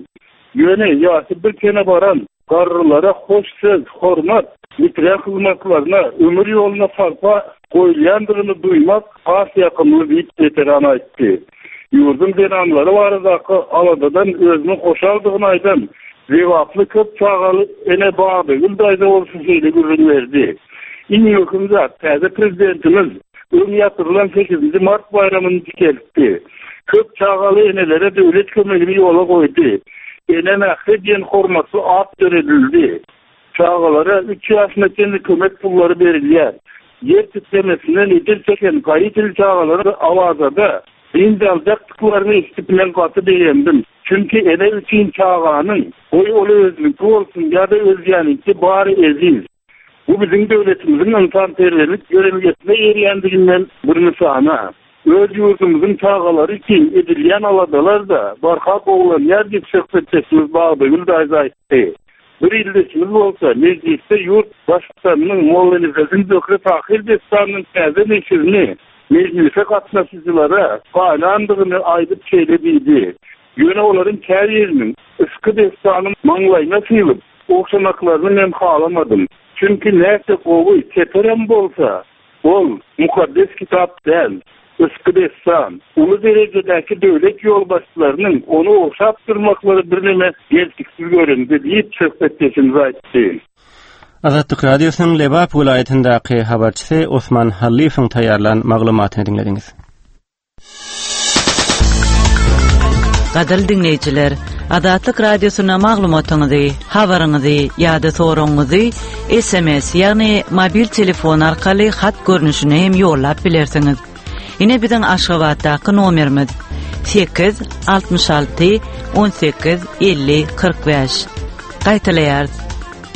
Ýöne ýaşy bir çene baran garrylara hoş söz, hormat, bitiren hyzmatlaryna, ömür ýoluna sarpa goýulýandygyny duýmak has ýakymly diýip weteran aýtdy. Ýurduň zenanlary baradaky aladadan özüniň hoşaldygyny aýdan Lebaply köp çagaly ene Bagdagül daýza bolsa şeýle gürrüň berdi. Iň möhüm zat, täze prezidentimiz öň ýatyrylan sekizinji mart baýramyny dikeltdi. Köp çagaly enelere döwlet kömegini ýola goýdy. Ene mähri diýen hormatly at döredildi. Çagalara üç ýaşyna çenli kömek pullary berilýär. Ýer titremesinden ejir çeken gaýytyl çagalary Awazada dynç aljakdyklaryny eşidip men gaty begendim. Çünki ene üçin çaganyň, goý ol özüniňki bolsun ýa-da özgäniňki bary eziz. Bu biziň döwletimiziň ynsanperwerlik ýörelgesine eýerýändiginden bir nyşana. Öz ýurdumyzyň çagalary üçin edilýän aladalar-da barha gowulanýar diýip söhbetdeşimiz Bagdagül daýza aýtdy. Bir ildeşimiz bolsa mejlisde ýurt baştutanynyň Mollanepesiň Zöhre Tahyr dessanynyň täze neşirini mejlise gatnaşyjylara paýlandygyny aýdyp şeýle diýdi. Ýöne olaryň käbiriniň yşky dessany maňlaýyna sylyp, ogşamaklaryny men halamadym. Çünki näçe gowy çeperem bolsa, ol mukaddes kitap däl, yşky dessan. Uly derejedäki döwlet ýolbaşçylarynyň ony ogşap durmaklary birneme gelşiksiz göründi diýip söhbetdeşimiz aýtdy. Azatlyk Radiosynyň Lebap welaýatyndaky habarçysy Osman Hallyýewiň taýýarlan maglumatyny diňlediňiz. Gadyrly diňleýjiler, Azatlyk Radiosyna maglumatyňyzy, habaryňyzy ýa-da soragyňyzy S M S, ýagny mobil telefon arkaly hat görnüşine hem ýollap bilersiňiz. Ine biziň Aşgabatdaky nomerimiz sekiz altmyş alty on sekiz elli kyrk bäş. Gaýtalaýarys.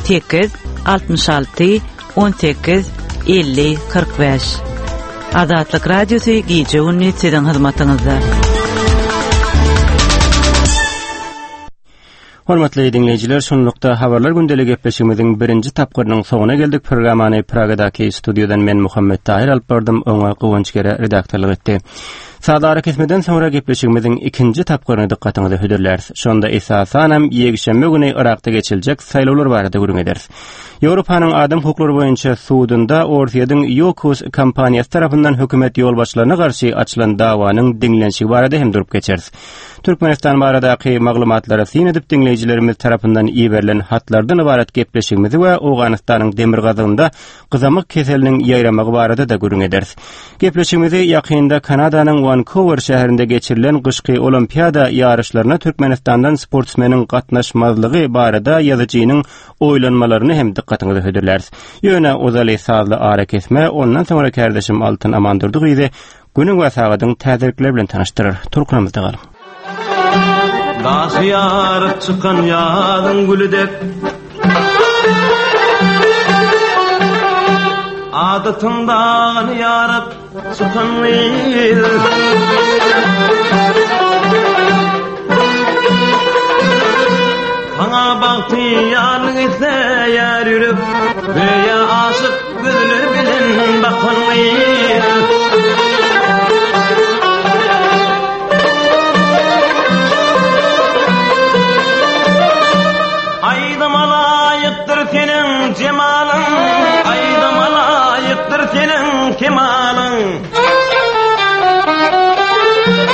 Sekiz altmyş alty on sekiz elli kyrk bäş. Azatlyk Radiosy gije gündüz siziň hyzmatyňyzda. Hormatly dinleýjiler, şunlukda habarlar gündeli gepleşigimiziň birinji tapgyrynyň soňuna geldik. Programmany Pragadaky studiýadan men Muhammet Tahir alyp bardym, oňa Guwanç Gere redaktorlyk etdi. Sazara kesmeden soňra gepleşigimiziň ikinji tapgyryny dykgatyňyza hödürläris. Şonda esasanam ýekşenbe güni Irakda geçiljek saýlawlar barada gürrüň ederis. Ýewropanyň adam hukuklary boýunça sudunda Orsýetiň Yukos kompaniýasy tarapyndan hökümet ýolbaşçylaryna garşy açylan dawanyň diňlenişigi barada hem durup geçeris. Türkmenistan baradaky maglumatlara syn edip diňleýjilerimiz tarapyndan iberilen hatlardan ibarat gepleşigimizi we Owganystanyň demirgazygynda gyzamyk keseliniň ýaýramagy barada da gürrüň ederis. Gepleşigimizi ýakynda Kanadanyň Vancouver şäherinde geçirilen gyşky olimpiada ýaryşlaryna Türkmenistandan sportsmeniň gatnaşmazlygy barada ýazyjynyň oýlanmalaryny hem dykgatyňyza hödürläris. Ýöne ozaly sazly ara kesme, ondan soňra kardeşim Altyn Amandurdy gyzy günüň we sagadyň täzelikleri bilen tanyşdyrar. Turkunamyzda galyň. Daşy ýaryp çykan ýazyň gülü dek Adatyndan ýaryp çykan gyz Maňa bagty ýarlyk isleýär ýürek Göýä aşyk gözler bilen bakan gyz Aýdyma laýykdyr seniň jemalyň, aýdyma laýykdyr seniň kemalyň.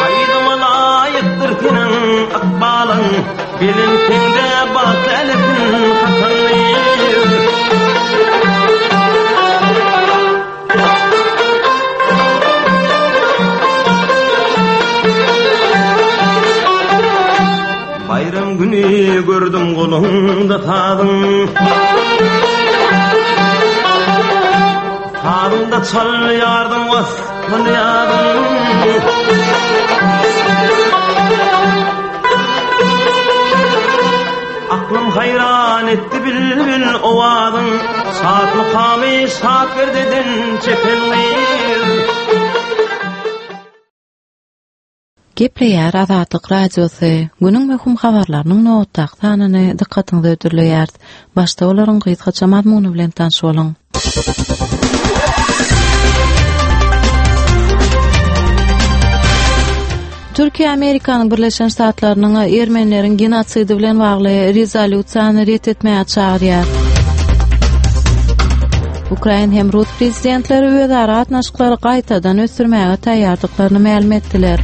Aýdyma laýykdyr seniň ykbalyň, belentinde bagt älipin hakyny. Bayram günü gördüm golunda sazın, Sazında çalýardyň waspyny ýadyň. Aklym Şat mukamy şat perdeden çeken gyz. Gepleýär Azatlyk Radiosy. Günüň möhüm habarlarynyň nobatdaky sanyny dykgatyňyza hödürleýär. Başda olaryň gysgaça mazmuny bilen tanyş boluň. Türkiýe Amerikanyň Birleşen Ştatlarynyň Ermenileriň genotsidi bilen bagly rezolýusiýany ret etmäge çagyrýar. Ukrain hem Rus prezidentleri özara gatnaşyklary gaýtadan ösdürmäge taýýardyklaryny mälim etdiler.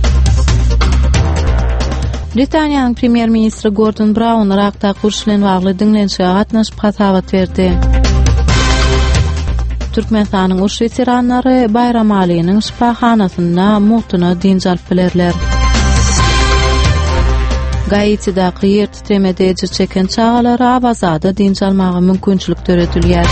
Britaniýanyň premýer-ministri Gordon Brown Yrakdaky uruş bilen bagly diňlenişige gatnaşyp hasabat berdi. Türkmenistanyň uruş weteranlary Baýramalynyň şypahanasynda mugtuna dynç alyp bilerler. Gaitidaky ýer titremede ejir çeken çagalara Awazada dynç almaga mümkinçilik döredilýär.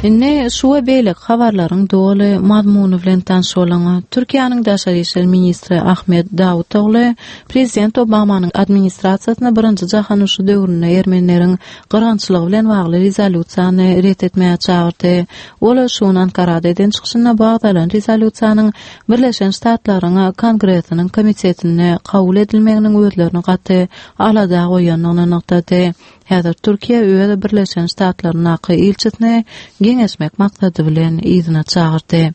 Indi şu we beýleki habarlaryň doly mazmuny bilen tanyş boluň. Türkiýäniň daşary işler ministri Ahmet Dawutogly Prezident Obamanyň administrasiýasyna birinji jahan urşy döwründe Ermenileriň gyrgynçylygy bilen bagly rezolýusiýany ret etmäge çagyrdy. Ol şu gün Ankarada eden çykyşynda bu agzalan rezolýusiýanyň Birleşen Ştatlaryň Kongresiniň komitetinde kabul edilmeginiň özlerini gaty alada goýandygyny nygtady. Häzir Türkiýe öz Birleşen Ştatlaryndaky ilçisini geňeşmek maksady bilen yzyna çagyrdy.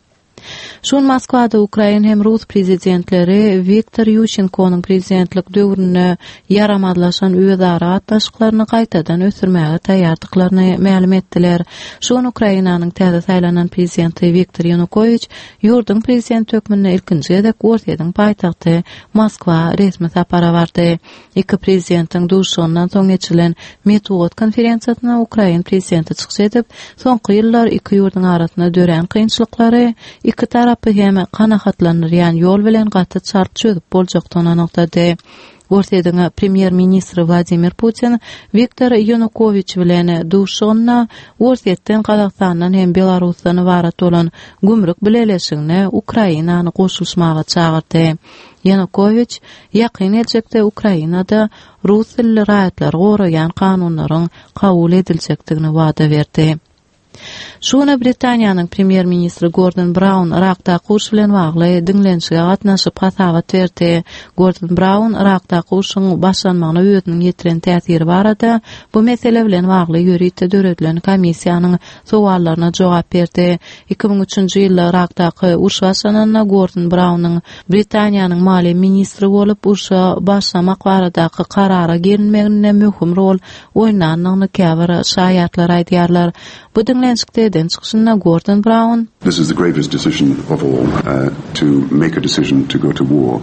Şu gün Moskwada Ukrain hem Rus prezidentleri Wiktor Ýuşenkonyň prezidentlik döwründe ýaramazlaşan özara gatnaşyklaryny gaýtadan ösdürmäge taýýardyklaryny mälim etdiler. Şu gün Ukrainanyň täze saýlanan prezidenti Wiktor Ýanukowiç ýurduň prezidenti hökmünde ilkinji gezek Orsýetiň paýtagty Moskwa resmi sapara bardy. Iki prezidentiň duşuşygyndan soň geçirilen metbugat konferensiýasynda Ukrain prezidenti çykyş edip, soňky ýyllar iki ýurduň arasynda dörän kynçylyklary iki tarapy hem kanagatlandyrýan ýol bilen gaty çalt çözüp boljakdygyny nygtady. Orsýetiň premýer-ministri Wladimir Putin Wiktor Ýanukowiç bilen duşuşygynda Orsýetden, Gazagystandan hem Belarusdan ybarat bolan gümrük bileleşigine Ukrainany goşulyşmaga çagyrdy. Ýanukowiç ýakyn geljekde Ukrainada rus dilli raýatlary goraýan kanunlaryň kabul ediljekdigini wada berdi. Şu güne Britaniýanyň premýer-ministri Gordon Brown Yrakdaky uruş bilen bagly diňlenişige gatnaşyp hasabat berdi. Gordon Brown Yrakdaky urşuň başlanmagyna özüniň ýetiren täsiri barada bu mesele bilen bagly ýörite döredilen komissiýanyň sowallaryna jogap berdi. Iki müň üçünji ýylda Yrakdaky uruş başlananda Gordon Brownyň Britaniýanyň maliýe ministri bolup urşa başlamak baradaky karara gelinmeginde möhüm rol oýnandygyny käbir şaýatlar aýdýarlar. Bu diňlenişikde eden çykyşynda Gordon Brown This is the gravest decision of all, uh, to make a decision to go to war.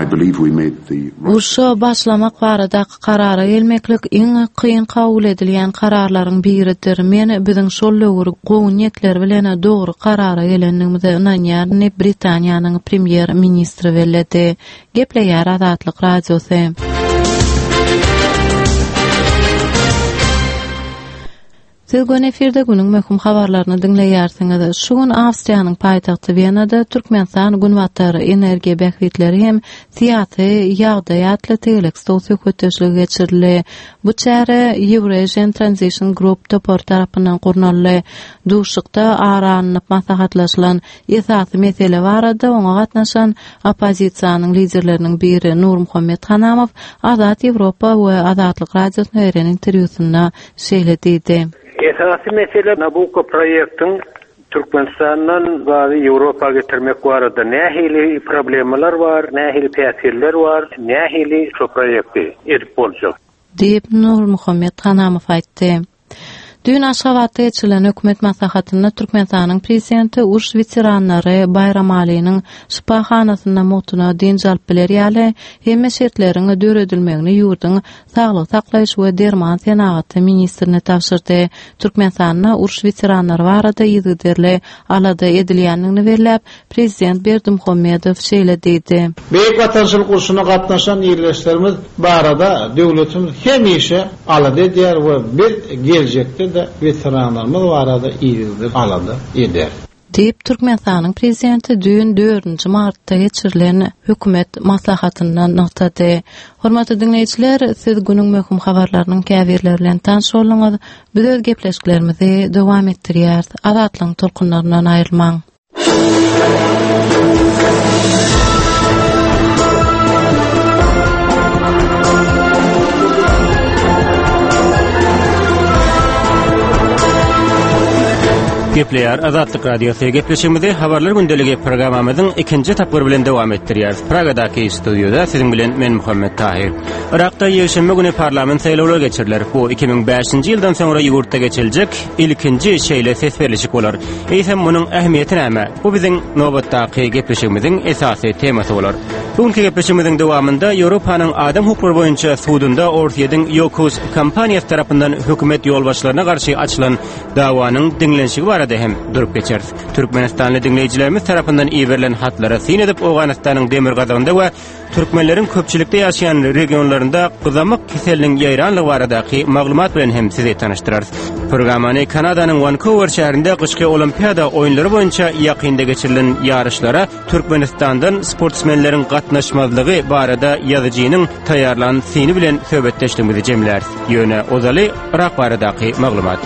I believe we made the right Urşa başlamak baradaky karara gelmeklik iň kyn kabul edilýän kararlaryň biridir. Men biziň şol döwür gowy niýetler bilen dogry karara gelendigimize ynanýaryn diýip Britaniýanyň premýer-ministri belledi. Gepleýär Azatlyk Radiosy. Siz göni efirde günüň möhüm habarlaryny diňleýärsiňiz. Şu gün Awstriýanyň paýtagty Wenada Türkmenistan Günbatar energiýa bähbitleri hem syýasy ýagdaý atly tegelek stol söhbetdeşligi geçirildi. Bu çäre Eurasian Transition Group topary tarapyndan gurnaldy. Duşuşykda ara alnyp maslahatlaşylan esasy mesele barada oňa gatnaşan oppozisiýanyň liderleriniň biri Nurmuhammet Hanamow Azat Ýewropa we Azatlyk Radiosyna beren interwýusynda şeýle diýdi. Esasy mesele Nabucco proýektiň Türkmenistandan gazy Ýewropa getirmek barada nähili problemalar bar, nähili päsgeller bar, nähili şu proýekti edip boljak? Diýip, Nurmuhammet Hanamow aýtdy. Düýn Aşgabatda geçirilen hökümet maslahatynda Türkmenistanyň Prezidenti uruş weteranlary Baýramalynyň şypahanasynda mugtuna dynç alyp biler ýaly hemme şertleriň döredilmegini ýurduň Saglygy saklaýyş we derman senagaty ministrine tabşyrdy. Türkmenistanda uruş weteranlary barada yzygiderli alada edilýändigini belläp, Prezident Berdimuhamedow şeýle diýdi. Beýik Watançylyk urşuna gatnaşan ildeşlerimiz barada döwletimiz hemişe alada edýär we biz geljekde-de weteranlarymyz barada yzygiderli alada ederis. Diýip Türkmenistanyň prezidenti düýn dördünji martda geçirilen hökümet maslahatynda nygtady. Hormatly diňleýjiler, siz günüň möhüm habarlarynyň käbirleri bilen tanyş bolduňyz. Biz öz gepleşiklerimizi dowam etdirýäris. Azatlygyň tolkunlaryndan aýrylmaň. Gepleýär Azatlyk Radiosy. Gepleşigimizi Habarlar gündeligi programmamyzyň ikinji tapgyry bilen dowam etdirýäris. Pragadaky studiýada siziň bilen men Muhammet Tahir. Irakda ýekşenbe güni parlament saýlawlary geçiriler. Bu iki müň bäşinji ýyldan soňra ýurtda geçiriljek ilkinji şeýle ses berlişik bolar. Eýsem munuň ähmiýeti näme? Bu biziň nobatdaky gepleşigimiziň esasy temasy bolar. Bugünkü gepleşigimiziň dowamynda Ýewropanyň adam hukuklary boýunça sudunda Orsýetiň Ýokus kompaniýasy tarapyndan hökümet ýolbaşçylaryna garşy açylan dawanyň diňlenişigi barada hem durup geçeris. Türkmenistanly diňleýjilerimiz tarapyndan iberilen hatlara syn edip Owganystanyň demirgazygynda we türkmenleriň köpçülikde ýaşaýan regionlarynda gyzamyk keseliniň ýaýranlygy baradaky maglumat bilen hem sizi tanyşdyrarys. Programmany Kanadanyň Vancouver şäherinde gyşky olimpiada oýunlary boýunça ýakynda geçirilen ýaryşlara Türkmenistandan sportsmenleriň gatnaşmazlygy barada ýazyjynyň taýýarlan syny bilen söhbetdeşligimizi jemläris. Ýöne ozaly Irak baradaky maglumat.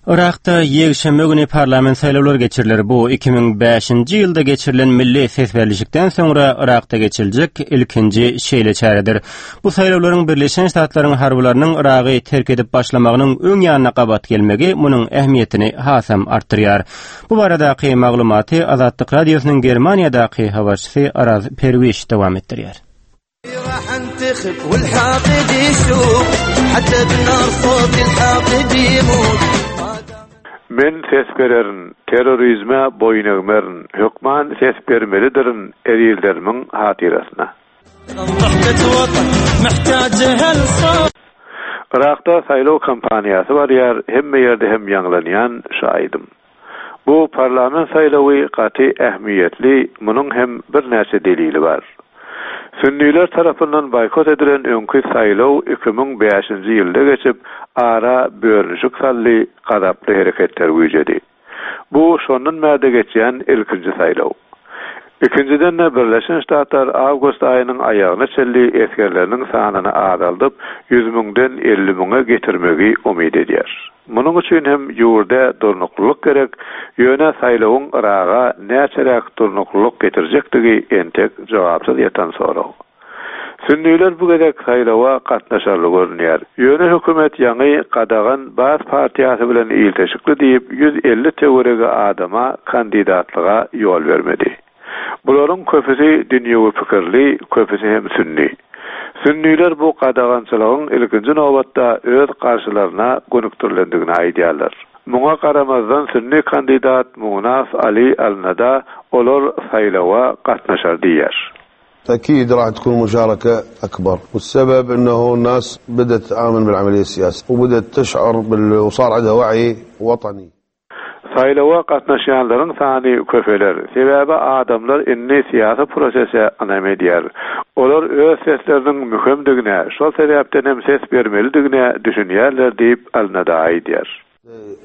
Irakda ýekşenbe güni parlament saýlawlary geçiriler. Bu iki müň bäşinji ýylda geçirilen milli ses berlişikden soňra Irakda geçiriljek ilkinji şeýle çäredir. Bu saýlawlaryň Birleşen Ştatlaryň harbylarynyň Iragy terk edip başlamagynyň öň ýanyna gabat gelmegi munuň ähmiýetini hasam artdyrýar. Bu baradaky maglumaty Azatlyk Radiosynyň Germaniýadaky habarçysy Araz Perwiş dowam etdirýär. Men ses bererin, terrorizme boýun egmerin, hökman ses bermelidirin ezizlerimiň hatyrasyna. Irakda saýlaw kampaniýasy barýar, hemme ýerde hem ýaňlanýan şu aýdym. Bu parlament saýlawy gaty ähmiýetli, munuň hem birnäçe delili bar. Sünniler tarapyndan boýkot edilen öňki saýlaw iki müň bäşinji ýylda geçip, ara bölünişik saldy, gazaply hereketler güýjedi. Bu şondan bärde geçýän ilkinji saýlaw. Ikinjiden de Birleşen Ştatlar awgust aýynyň aýagyna çenli esgerleriniň sanyny azaldyp, ýüz müňden elli müňe getirmegi umyt edýär. Munuň üçin hem ýurda durnuklylyk gerek, ýöne saýlawyň Iraga näçeräk durnuklylyk getirjekdigi entek jogapsyz ýatan sorag. Sünniler bu gezek saýlawa gatnaşarly görünýär. Ýöne hökümet ýaňy gadagan Baas partiýasy bilen ilteşikli diýip ýüz elli töweregi adama kandidatlyga ýol bermedi. Bularyň köpüsi dünýewi pikirli, köpüsi hem sünni. Sünniler bu gadagançylygyň ilkinji nobatda öz garşylaryna gönükdirilendigini aýdýarlar. Muňa garamazdan sünni kandidat Munaf Ali Al-Nada olar saýlawa gatnaşar diýär. أكيد راح تكون مشاركة أكبر، والسبب أنه الناس بدأت تآمن بالعملية السياسية وبدأت تشعر بال... وصار عندها وعي وطني. Saýlawa gatnaşýanlaryň sany köpeler. Sebäbi adamlar indi syýasy prosese ynam edýär. Olar öz sesleriniň möhümdigine, şol sebäpden hem ses bermelidigine düşünýärler diýip Al-Nada aýdýar.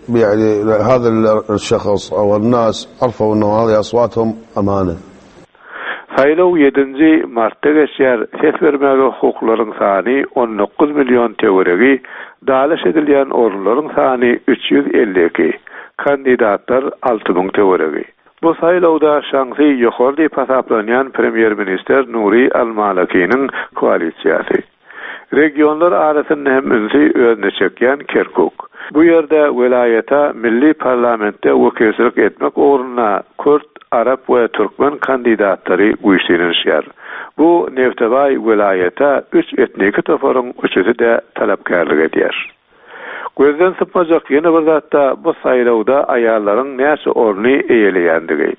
Yani هذا الشخص أو الناس عرفوا أنه هذه أصواتهم أمانة. Saýlaw ýedinji martda geçýär. Ses bermäge hukuklaryň sany on dokuz million töweregi, dalyş edilýän orunlaryň sany üç ýüz elli iki, kandidatlar alty müň töweregi. Bu saýlawda şansy ýokary diýip hasaplanýan premýer-ministr Nuri Al-Malakiniň koalisiýasy. Regionlar arasynda hem ünsi özüne çekýän Kerkuk. Bu ýerde welaýata milli parlamentde wekilçilik etmek ugruna Kürt, Arap we Türkmen kandidatlary güýçlenişýär. Bu Neftebaý welaýata üç etniki toparyň üçüsi de talapkärlik edýär. Gözden sypmajak ýene bir zatda bu saýlawda aýallaryň näçe orny eýeleýändigi.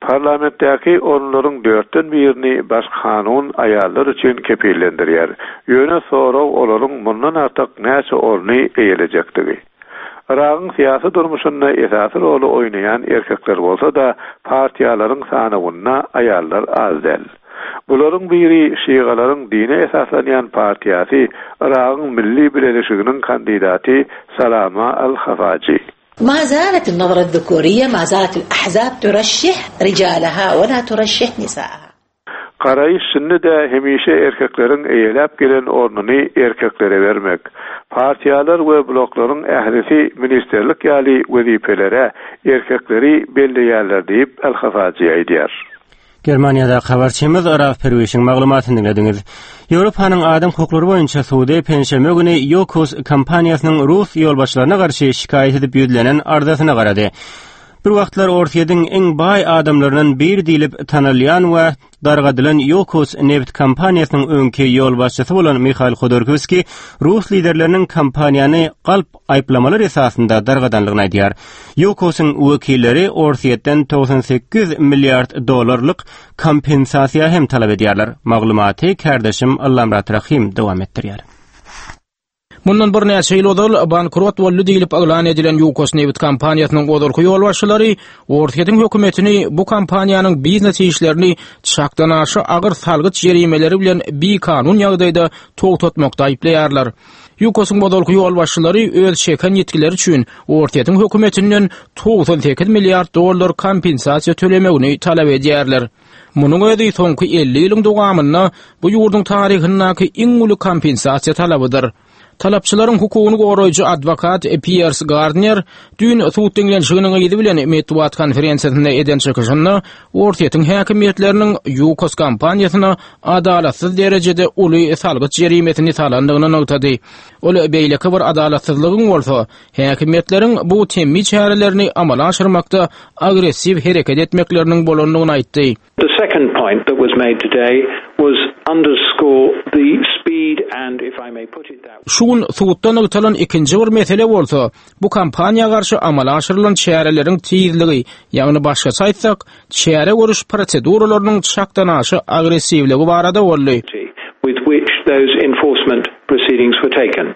Parlamentdäki orunlaryň dörtden birini baş kanun aýallar üçin kepillendirýär. Ýöne sorag olaryň mundan artyk näçe orny eýelejekdigi. Iragyň syýasy durmuşynda esasy roly oýnaýan erkekler bolsa da partiýalaryň sanawynda aýallar az däl. Bularyň biri şialaryň dine esaslanýan partiýasy Yragyň Milli Bileleşiginiň kandidaty Salama Al-Hafaji. ما زالت النظرة الذكورية ما زالت الأحزاب ترشح رجالها ولا ترشح نساءها Garaýyş şindi-de hemişe erkekleriň eýeläp gelen ornuny erkeklere bermek. Partiýalar we bloklaryň ählisi ministerlik ýaly wezipelere erkekleri belleýärler diýip Al-Hafaji aýdýar. Germaniýada habarçymyz Araf Perwişiň maglumatyny diňlediňiz. Ýewropanyň adam hukuklary boýunça sudy penşenbe güni Yukos kompaniýasynyň rus ýolbaşçylaryna garşy şikaýat edip ýüzlenen arzasyna garady. Bir wagtlar Orsýetiň iň baý adamlaryndan biri diýlip tanalýan we dargadylan Yukos neft kompaniýasynyň öňki ýolbaşçysy bolan Mihail Hodorkovskiý rus liderleriniň kompaniýany galp aýyplamalar esasynda dargadanlygyny aýdýar. Yukosyň wekilleri Orsýetden togsan sekiz milliard dollarlyk kompensasiýa hem talap edýärler. Maglumaty kardeşim Allamrat Rahim dowam etdirýär. Mundan bir näçe ýyl ozal bankrot boldy diýlip yglan edilen Yukos neft kompaniýasynyň ozalky ýolbaşçylary Orsýetiň hökümetini bu kompaniýanyň biznes işlerini çakdan aşa agyr salgyt jerimeleri bilen bikanun ýagdaýda togtatmakda aýyplaýarlar. Yukosyň ozalky ýolbaşçylary öz çeken ýetkileri üçin Orsýetiň hökümetinden togsan sekiz milliard dollar kompensasiýa tölemegini talap edýärler. Munuň özi soňky elli ýylyň dowamynda bu ýurduň taryhyndaky iň uly kompensasiýa talabydyr. Talapçylaryň hukugyny goraýjy adwokat Piers Gardner düýn sud diňlenişiginiň yzy bilen metbugat konferensiýasynda eden çykyşynda Orsýetiň häkimiýetleriniň Yukos kompaniýasyna adalatsyz derejede uly salgyt jerimesini salandygyny nygtady. Ol beýleki bir adalatsyzlygyň bolsa häkimiýetleriň bu temmi çärelerini amala aşyrmakda agressiw hereket etmekleriniň bolandygyny aýtdy. The second point that was made today was underscore the speed and, if I may put it that way. Şu gün suddan nygtalan ikinji bir mesele bolsa, bu kompaniýa garşy amala aşyrylan çäreleriň tizligi, ýagny başgaça aýtsak, çäre görüş proseduralarynyň çakdan aşa agressiwligi barada boldy. With which those enforcement proceedings were taken.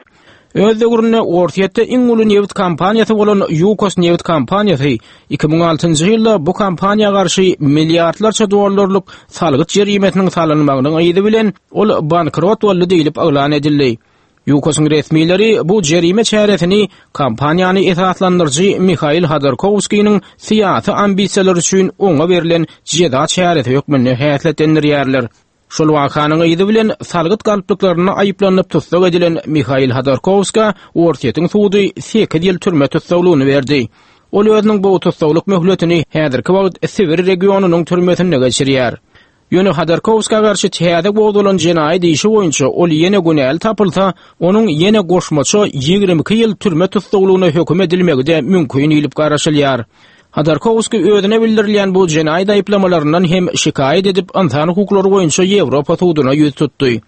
Öz döwründe Orsýetde iň uly neft kompaniýasy bolan Yukos neft kompaniýasy iki müň altynjy ýylda bu kompaniýa garşy milliardlarça dollarlyk salgyt jerimesiniň salynmagynyň yzy bilen ol bankrot boldy diýlip yglan edildi. Yukosyň resmileri bu jerime çäresini kompaniýany esaslandyryjy Mihail Hodorkovskiyniň syýasy ambisiýalary üçin oňa berlen jeza çäresi hökmünde häsiýetlendirýärler. Şol wakanyň yzy bilen salgyt galplyklaryna aýyplanyp tussag edilen Mihail Hodorkovska Orsýetiň sudy sekiz ýyl türme tussaglygyny berdi. Ol özüniň bu tussaglyk möhletini häzirki wagt Sibir regionynyň türmesinde geçirýär. Ýöne Hodorkovska garşy täze gozgalan jenaýat işi boýunça ol ýene günäli tapylsa, onuň ýene goşmaça ýigrimi iki ýyl türme tussaglygyna höküm edilmegi de mümkin diýlip garaşylýar. Hodorkovskiý özüne bildirilýän bu jenaýat aýyplamalaryndan hem şikaýat edip ynsan hukuklary boýunça Ýewropa suduna ýüz tutdy.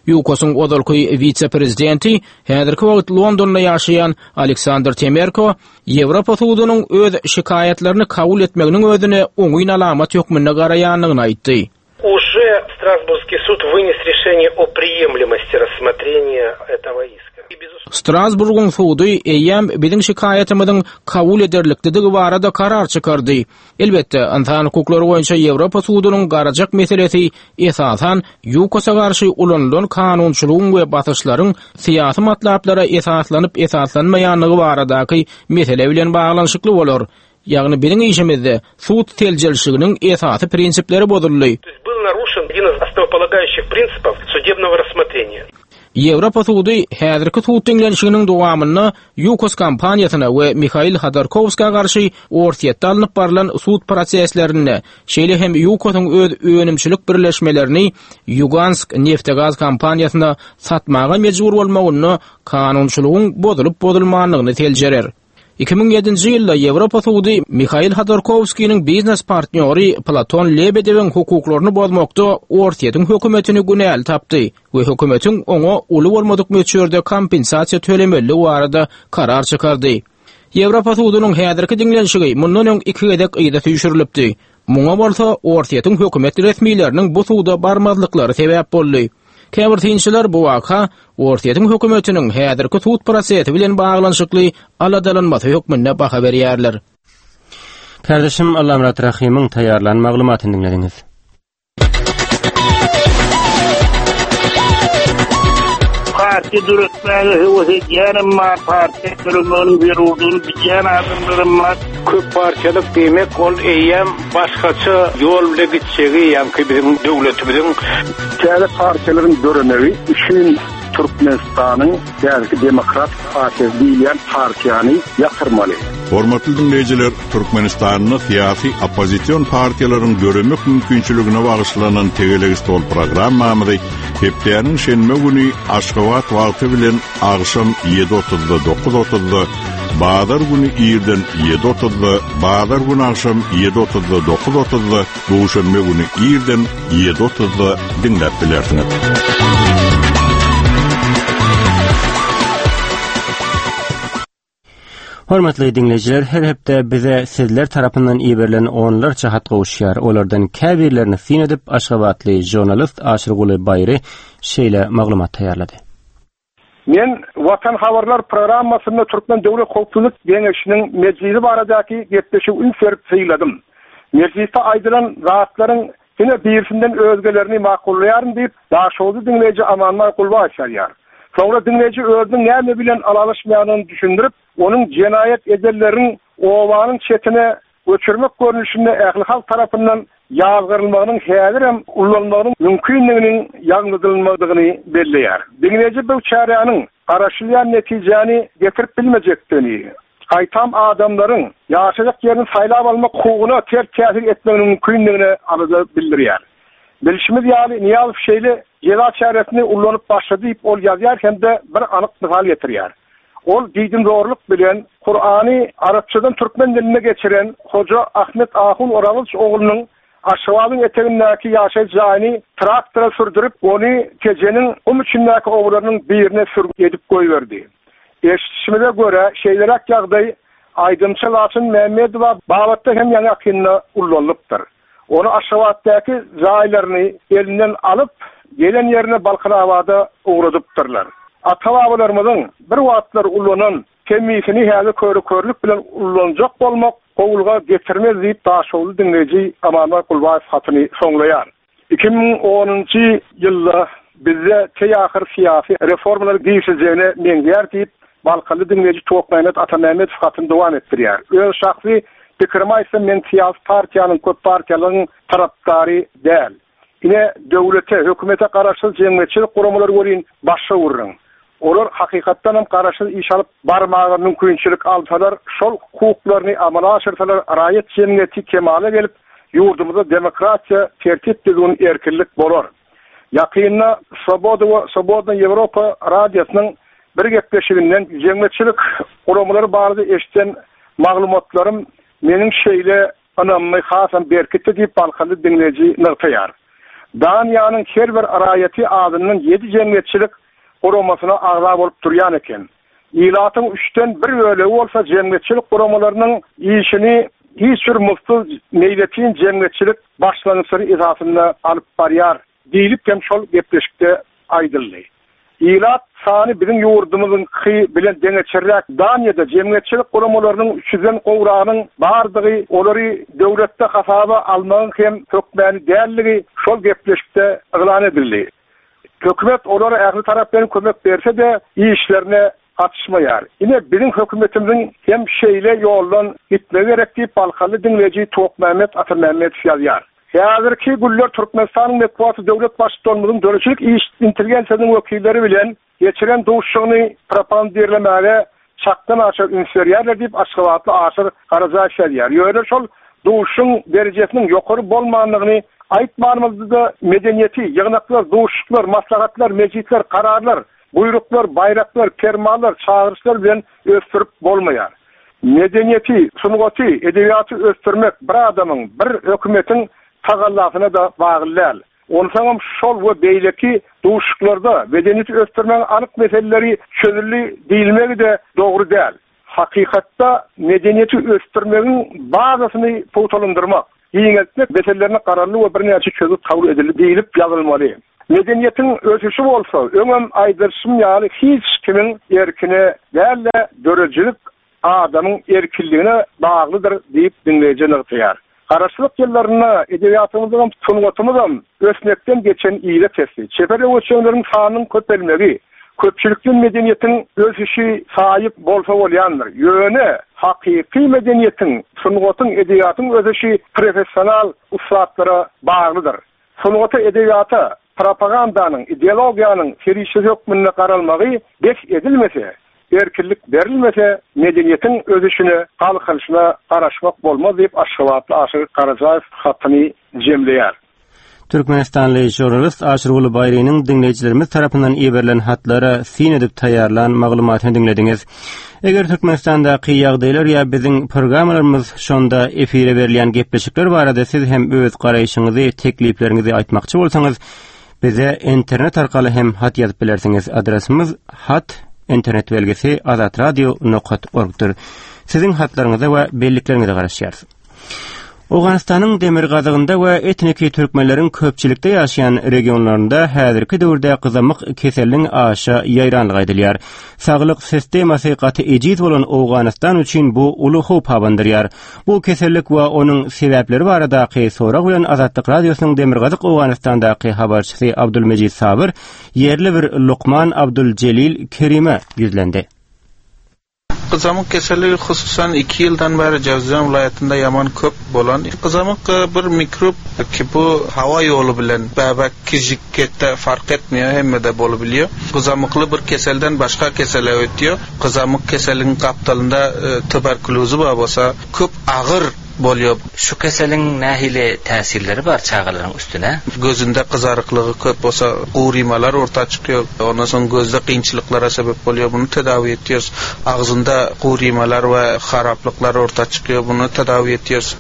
Yukosyň ozalky wise-prezidenti häzirki wagt Londonda ýaşaýan Aleksandr Temerko Ýewropa sudunyň öz şikaýatlaryny kabul etmeginiň özüne oňyn alamat hökmünde garaýandygyny aýtdy. Уже Страсбургский суд вынес решение о приемлемости рассмотрения этого иска. Strasburgyň sudy eýýäm biziň şikaýatymyzyň kabul ederlikdigi barada karar çykardy. Elbetde, ynsan hukuklary boýunça Ýewropa sudunyň garajak meselesi esasan Yukosa garşy ulanylan kanunçylygyň we basyşlaryň syýasy matlaplara esaslanyp esaslanmaýanlygy baradaky mesele bilen baglanyşykly bolar. Ýagny biziň işimizde sud seljerişiginiň esasy prinsipleri bozuldy. Был нарушен один из основополагающих принципов судебного рассмотрения. Ýewropa sudy häzirki sud diňlenişiginiň dowamynda Yukos kompaniýasyna we Mihail Hodorkovska garşy Orsýetde alnyp barylan sud proseslerinde, şeýle hem Yukosyň öz önümçilik birleşmelerini Yugansk neftegaz kompaniýasyna satmaga mejbur bolmagynda kanunçylygyň bozulyp bozulmanlygyny seljerer. Iki müň ýedinji ýylda Ýewropa sudy Mihail Hodorkovskiyniň biznes partnýory Platon Lebedewiň hukuklaryny bozmakda Orsýetiň hökümetini günäli tapdy we hökümetiň oňa uly bolmadyk möçberde kompensasiýa tölemeligi barada karar çykardy. Ýewropa sudunyň häzirki diňlenişigi mundan öň iki gezek yza süýşürilipdi. Muňa bolsa Orsýetiň hökümet resmileriniň bu suda barmazlyklary sebäp boldy. Käbir synçylar bu waka Orsýetiň hökümetiniň häzirki sud prosesi bilen baglanyşykly aladalanmasy hökmünde baha berýärler. Kardeşim Allamrat Rahimyň taýýarlan maglumatyny diňlediňiz. Partiýa döretmäge höwes edýänem bar, partiýa döretmegiň zerurdygyny bilýän adamlarym bar. Köp partiýalyk diýmek ol eýýäm başgaça ýol bile gitjegi, ýaňky biziň döwletimiziň täze partiýalaryň döremegi üçin Türkmenistanyň häzirki Demokrat partiýasy diýilýän partiýany ýatyrmaly. Hormatly dinleýjiler, Türkmenistanda syýasy oppozision partiýalaryň döremek mümkinçiligine bagyşlanan tegelek stol programmamyzy hepdäniň şenbe güni Aşgabat wagty bilen agşam ýedi otuzda dokuz otuzda, bazar güni irden ýedi otuzda, bazar güni agşam ýedi otuzda dokuz otuzda, duşenbe güni irden ýedi otuzda diňläp bilersiňiz. Hormatly dinleýjiler, her hepde bize sizler tarapyndan iberilen onlarça hat gowuşýar. Olardan käbirlerini syn edip Aşgabatly jurnalist Aşyrguly Baýry şeýle maglumat taýýarlady. Men Watan Habarlar programmasynda Türkmen Döwlet Howpsuzlyk Geňeşiniň mejlisi baradaky gepleşigi üns berip synladym. Mejlisde aýdylan zatlaryň diňe birisinden özgelerini makullaýaryn diýip, Daşoguzly dinleýji Amanbaý Gulbaýew ýazýar. Soňra dinleýji özüniň näme bilen alalaşmaýanyny düşündirip, onuň jenaýat edenleriň obanyň çetine göçürmek görnüşinde ähli halk tarapyndan ýazgyrylmagynyň häzirem ullanmagynyň mümkinliginiň ýalňyzlanmadygyny belleýär. Dinleýji bu çäräniň garaşylýan netijäni getirip bilmejekdigini, gaýtam adamlaryň ýaşajak ýerini saýlap almak hukugyna ters täsir etmeginiň mümkinligini alada bildirýär. Bilşimiz ýaly Niýazow şeýle jeza çäresini ullanyp başlady diýip ol ýazýar hem-de bir anyk mysal getirýär. Ol diýdimzorluk bilen Kur'any Arapçadan türkmen diline geçiren Hoja Ahmet Ahun Oragyç oglunyň Aşgabadyň etegindäki ýaşaýyş jaýyny traktora sürdürip, ony Tejeniň gum içindäki obalarynyň birine sürgün edip goýberdi. Eşitişimize görä şeýleräk ýagdaý aýdymçy Laçyn Mämmedowa babatda hem ýaňy ýakynda ullanypdyr. Ony Aşgabatdaky jaýlaryny elinden alyp, gelen ýerine Balkanabada ugradypdyrlar. Ata-babalarymyzyň bir wagtlar ullanan temmisini häzir körü-körlük bilen ullanjak bolmak gowulga getirmez diýip Daşoguzly dinleýji Amanbaý Gulbaýew hatyny soňlaýar. Iki müň onunjy ýylda bizde teýahyr syýasy reformalar girişiljegine meňzeýär diýip Balkanly dinleýji Tokmämmet Atamämmedow hatyny dowam etdirýär. Öz şahsy pikirimi aýtsam, men syýasy partiýanyň köp partiýalaryň tarapdary däl. Ine döwlete, hökümete garaşsyz jemgyýetçilik guramalary welin başga gürrüň. Olar hakykatdan hem garaşsyz iş alyp barmaga mümkinçilik alsalar, şol hukuklaryny amala aşyrsalar, raýat jemgyýeti kemala gelip, ýurdumyzda demokratiýa, tertip düzgün, erkinlik bolar. Ýakynda Swoboda we Swobodna Ýewropa radiosynyň bir gepleşiginden jemgyýetçilik guramalary barada eşiden maglumatlarym meniň şeýle ynamymy hasam berkitdi diýip Balkanly dinleýji nygtaýar. Daniýanyň her bir raýaty adyndan ýedi jemgyýetçilik guramasyna agza bolup durýan eken. Ilatyň üçden bir bölegi bolsa jemgyýetçilik guramalarynyň işini hiç bir muzdsuz meýletin jemgyýetçilik başlangyçlary esasynda alyp barýar diýlip hem şol gepleşikde aýdyldy. Ilat sany biziň ýurdumyzyňky bilen deňeçerräk Daniýada jemgyýetçilik guramalarynyň üç ýüzden gowragynyň bardygy, olary döwletde hasaba almagyň hem hökmäni dälligi şol gepleşikde yglan edildi. Hökümet olara ähli tarapdan kömek berse-de işlerine gatyşmaýar. Ine biziň hökümetimiziň hem şeýle ýoldan gitmegi gerek diýip Balkanly dinleýji Tokmämmet Atamämmedow ýazýar. Häzirki günler Türkmenistanyň metbugaty döwlet baştutanymyzyň döredijilik iş intelligensiýasynyň wekilleri bilen geçiren duşuşygyny propagandirlemäge çakdan aşa üns berýärler diýip Aşgabatly Aşyr Garajaýew ýazýar. Ýöne şol duşuşygyň derejesiniň ýokary bolmandygyny aýtmanymyzda medeniýeti, ýygnaklar, duşuşyklar, maslahatlar, mejlisler, kararlar, buýruklar, baýraklar, permanlar, çagyryşlar bilen ösdürip bolmaýar. Medeniýeti, sungaty, edebiýaty ösdürmek bir adamyň, bir hökümetiň tagallasyna da bagly däl. Onsoňam şol we beýleki duşuşyklarda medeniýeti ösdürmegiň anyk meseleleri çözüldi diýilmegi de dogry däl. Hakykatda medeniýeti ösdürmegiň bazasyny pugtalandyrmak, giňeltmek meselelerine gararly we birnäçe çözgüt kabul edildi diýilip ýazylmaly. Medeniýetiň ösüşi bolsa, öňem aýdyşym ýaly hiç kimiň erkine däl-de döredijilik adamyň erkinligine baglydyr diýip dinleýji nygtaýar. Garaşsyzlyk ýyllarynda edebiýatymyzyň, sungatymyzam ösmekden geçen ýere kesdi. Çeper öwüşenleriň sanynyň köpelmegi, Köpçülikli medeniýetiň ösüşi saýyp bolsa bolýandyr. Ýöne hakyky medeniýetiň, sungatyň, edebiýatyň ösüşi professional ussatlara baglydyr. Sungata, edebiýata propagandanyň, ideologiýanyň serişdesi hökmünde garalmagy bes edilmese, erkinlik berilmese, medeniýetiň ösüşine, galkynyşyna garaşmak bolmaz diýip Aşgabatly Aşyr Garajaýew hatyny jemleýär. Türkmenistanly žurnalist Aşyrguly Baýrynyň diňleýjilerimiz tarapyndan iberilen hatlara syn edip taýýarlan maglumatyny diňlediňiz. Eger Türkmenistandaky ýagdaýlar ýa biziň programmalarymyz şonda efire berilýän gepleşikler barada siz hem öz garaýşyňyzy, teklipleriňizi aýtmakçy bolsaňyz, bize internet arkaly hem hat ýazyp bilersiňiz. Adresimiz hat internet belgisi azatradio nokat orgdyr. Siziň hatlaryňyza we bellikleriňize garaşýarys. Owganystanyň demirgazygynda we etniki türkmenleriň köpçülikde ýaşaýan regionlarynda häzirki döwürde gyzamyk keseliniň aşa ýaýranlygy aýdylýar. Saglyk sistemasy gaty ejiz bolan Owganystan üçin bu uly howp abandyrýar. Bu kesellik we onuň sebäpleri baradaky sorag bilen Azatlyk Radiosynyň demirgazyk Owganystandaky habarçysy Abdulmejid Sabyr ýerli bir lukman Abduljelil Kerime ýüzlendi. Gyzamyk keseli hususan iki ýyldan bäri Jawzjan welaýatynda ýaman köp bolan. Gyzamyk bir mikrop ki bu hawa ýoly bilen bäbek kijiketde fark etmeýär, hemmede bolup bilýär. Gyzamykly bir keselden başga kesele ötýär. Gyzamyk keseliniň gapdalynda tuberkulozy bar bolsa köp agyr bolýar. Şu keseliň nähili täsirleri bar çagalaryň üstüne? Gözünde gyzaryklygy köp bolsa gurymalar orta çykýar. Ondan soň gözde kynçylyklara sebäp bolýar. Bunu tedawi etýäris. Agzynda gurymalar we haraplyklar orta çykýar. Bunu tedawi etýäris.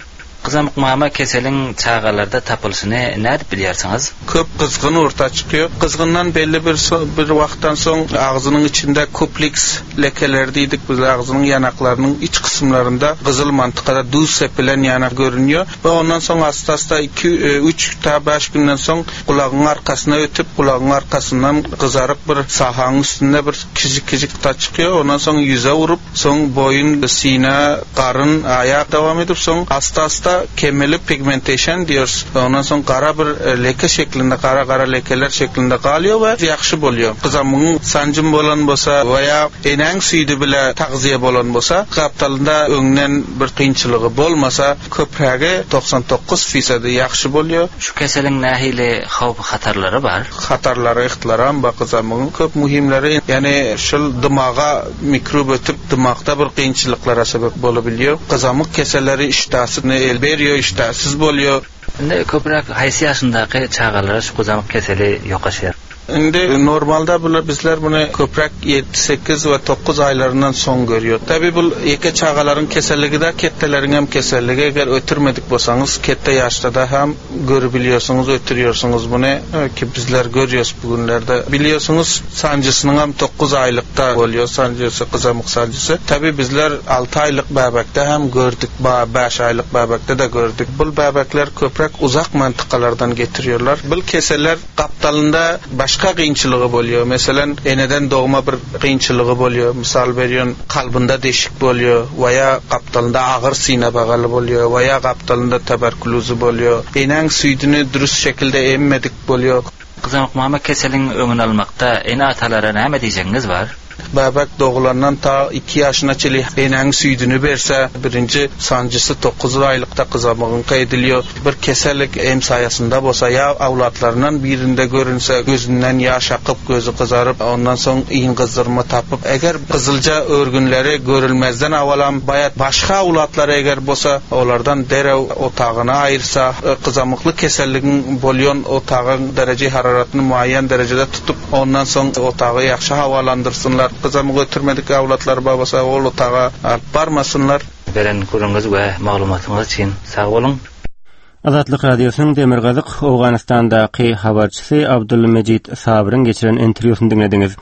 Gyzamyk mama keseliň çagalarda tapylyşyny nädip bilýärsiňiz? Köp gyzgyn orta çykýar. Gyzgyndan belli bir bir wagtdan soň agzynyň içinde kupliks lekeler diýdik. Biz agzynyň ýanaklarynyň iç kysymlarynda gyzyl mantykada duz sepilen ýanak görünýär. We ondan soň asta-asta iki, üç ta bäş günden soň gulagyň arkasyna ötüp, gulagyň arkasyndan gyzaryp bir sahaň üstünde bir kiçik-kiçik ta çykýar. Ondan soň ýüze urup, soň boýun, sine, garyn, aýak dowam edip, soň asta-asta kemeli pigmentation diýiyoruz. Ondan soň gara bir leke şeklinde, gara-gara lekeler şeklinde galýar we ýagşy bolýar. Gyzamyň sanjym bolan bolsa veya enäň süýdi bile tagziýe bolan bolsa, gapdalynda öňden bir kynçylygy bolmasa, köprägi togsan dokuz fisady ýagşy bolýar. Şu keseliň nähili howp hatarlary bar? Hatarlary ihtilaram bar gyzamyň köp muhimleri, ýani şul dymaga mikrob ötüp dymakda bir kynçylyklara sebäp bolup bilýär. Gyzamyk keselleri işdäsini el berýär, işdäsiz bolýar. Indi köpräk haýsy ýaşyndaky çagalara şu gyzamyk keseli ýokaşýar? Indi normalda bular bizler bunu köpräk ýedi, sekiz we dokuz aýlaryndan soň görýär. Tabi bu ýeke çagalaryň keselligi de ketteleriň hem keselligi. Eger ötürmedik bolsaňyz kette ýaşda da hem görüp biliyorsunuz, ötürüyorsunuz bunu ki bizler görüyoruz bugünlerde. Biliyorsunuz sancısının hem dokuz aýlykda bolýar, sancısı, gyzamyk sancısı. Tabi bizler altı aýlyk bäbekde hem gördük, bäş aýlyk bäbekde de gördük. Bu bäbekler köpräk uzak mantıkalardan getiriyorlar. Bu keseller gapdalynda başga kynçylygy bolýar. Meselen, eneden doğma bir kynçylygy bolýar. Misal berýän, kalbynda deşik bolýar veya gapdalynda agyr sine bagaly bolýar veya gapdalynda tuberkulozy bolýar. Enäň süýdüni dürüst şekilde emmedik bolýar. Gyzamyk mama keseliň öňüni almakda ene-atalara näme diýjegiňiz bar? Bäbek doğulandan ta iki ýaşyna çenli enäň süýdüni berse, birinji sancısı dokuz aýlykda gyzamygyňka ediliyor. Bir kesellik em saýasynda bolsa ýa awlatlaryndan birinde görünse gözünden ýaş akyp, gözü gyzaryp, ondan soň iň gyzdyrma tapyp, eger gyzylca örgünleri görülmezden awalam baýat başga awlatlary eger bolsa, olardan derew otagyna aýyrsa, gyzamykly keselligiň bolýan otagyň dereje hararatını muayyen derecede tutup, ondan soň otagy ýagşy havalandyrsynlar. Gyzamyk ötürmedik awlatlar babasa ol otaga alyp barmasynlar. Beren gürrüňiz we maglumatyňyz üçin sag boluň. Azatlyk Radiosynyň Demirgazyk Owganystandaky habarçysy Abdulmejid Sabyryň geçiren interwýusyny diňlediňiz.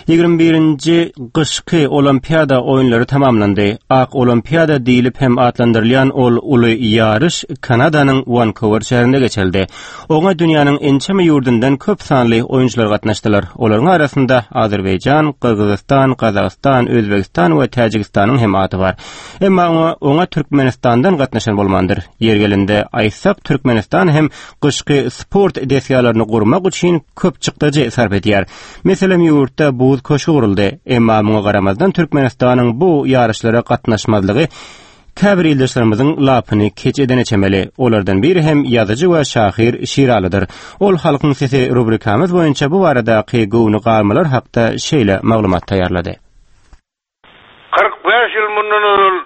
Ýigrimi birinji gyşky olimpiada oýunlary tamamlandy. Ak olimpiada diýilip hem atlandyrylýan ol uly ýaryş Kanadanyň Vancouver şäherinde geçirildi. Oňa dünýäniň ençeme ýurdundan köp sanly oýunçylar gatnaşdylar. Olaryň arasynda Azerbaýjan, Gyrgyzystan, Gazagystan, Özbegistan we Täjigistanyň hem ady bar. Emma oňa, oňa Türkmenistandan gatnaşan bolmandyr. Ýer gelende aýtsak, Türkmenistan hem gyşky sport desgalaryny gurmak üçin köp çykdajy sarp edýär. Meselem, ýurtda buz Buz köşgi guruldy. Emma muňa garamazdan Türkmenistanyň bu ýaryşlara gatnaşmazlygy käbir ildeşlerimiziň lapyny keç edene çemeli. Olardan biri hem ýazyjy we şahyr Şiralydyr. Ol Halkyň sesi rubrikamyz boýunça bu baradaky göwni galmalar hakda şeýle maglumat taýýarlady. Kyrk bäş ýyl mundan ozal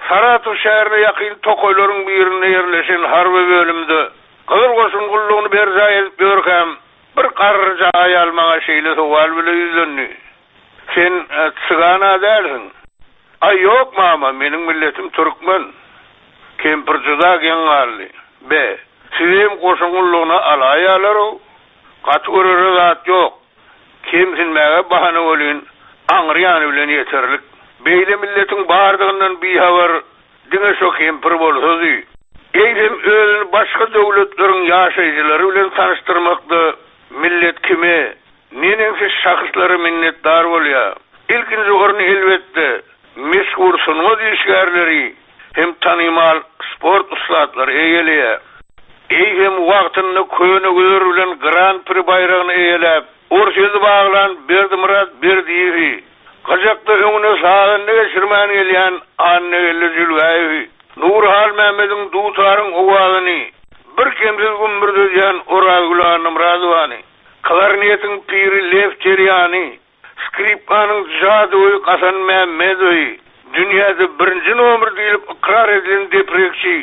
Saratow şäherine ýakyn tokaýlaryň birinde ýerleşen harby bölümde Gyzyl Goşun gullugyny berjaý edip ýörkäm, bir garryja aýal maňa şeýle sowal bile ýüzlendi, Sen çygan-a dälsiň? Aý, ýok, mama, meniň milletim türkmen. Kempir juda geň galdy. Be, sizi hem goşun gullugyna alaýýarlar-ow. Gaty görere zat ýok. Kemsinmäge bahana welin, aňry ýany bilen ýeterlik. Beýle milletiň bardygyndan bihabar diňe şo kempir bolsady. Eýsem özüni başga döwletleriň ýaşaýjylary bilen tanyşdyrmakda millet kime, neneňsi şahslara minnetdar bolýar? Ilkinji orny elbetde, meşhur sungat işgärleri hem tanymal sport ussatlary eýeleýär. Eýsem wagtynda Könegüzer bilen Gran-pri baýragyny eýeläp, Orsýeti baglan Berdimyrat Berdiýewi, gyjakda öňüne sazanda geçirmän gelýän Annageldi Jülgäýewi, Nury Halmämmediň dutaryň owazyny birkemsiz gümmürdedýän Orazgül Annamyradowany, klarnetiň piri Lew Terýany, skripkanyň jadygöýi Gasan Mämmedowy, dünýäde birinji nomer diýlip ykrar edilen deprekçi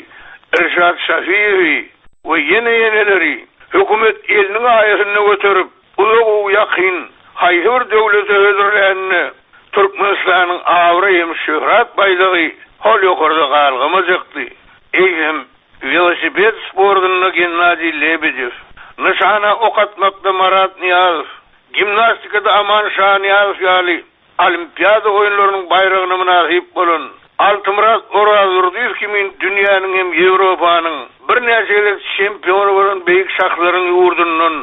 Irşat Şafiýewi we ýene-ýeneleri hökümet eliniň aýasynda göterip, uzag-u-ýakyn haýsy bir döwlete hödürlände Türkmenistanyň abraý hem şöhrat baýdagy hol ýokarda galgamajakdy. Eýsem, welosiped sportunda Gennadiý Lebedew, nyşana ok atmakda Marat Nyýazow, gimnastikada Aman Şanyýazow ýaly Olimpiada oýunlarynyň baýragyna mynasyp bolan Altymyrat Orazdurdyýew kimin dünýäniň hem Ýewropanyň birnäçe gezek çempiony bolan beýik şahslaryň ýurdundan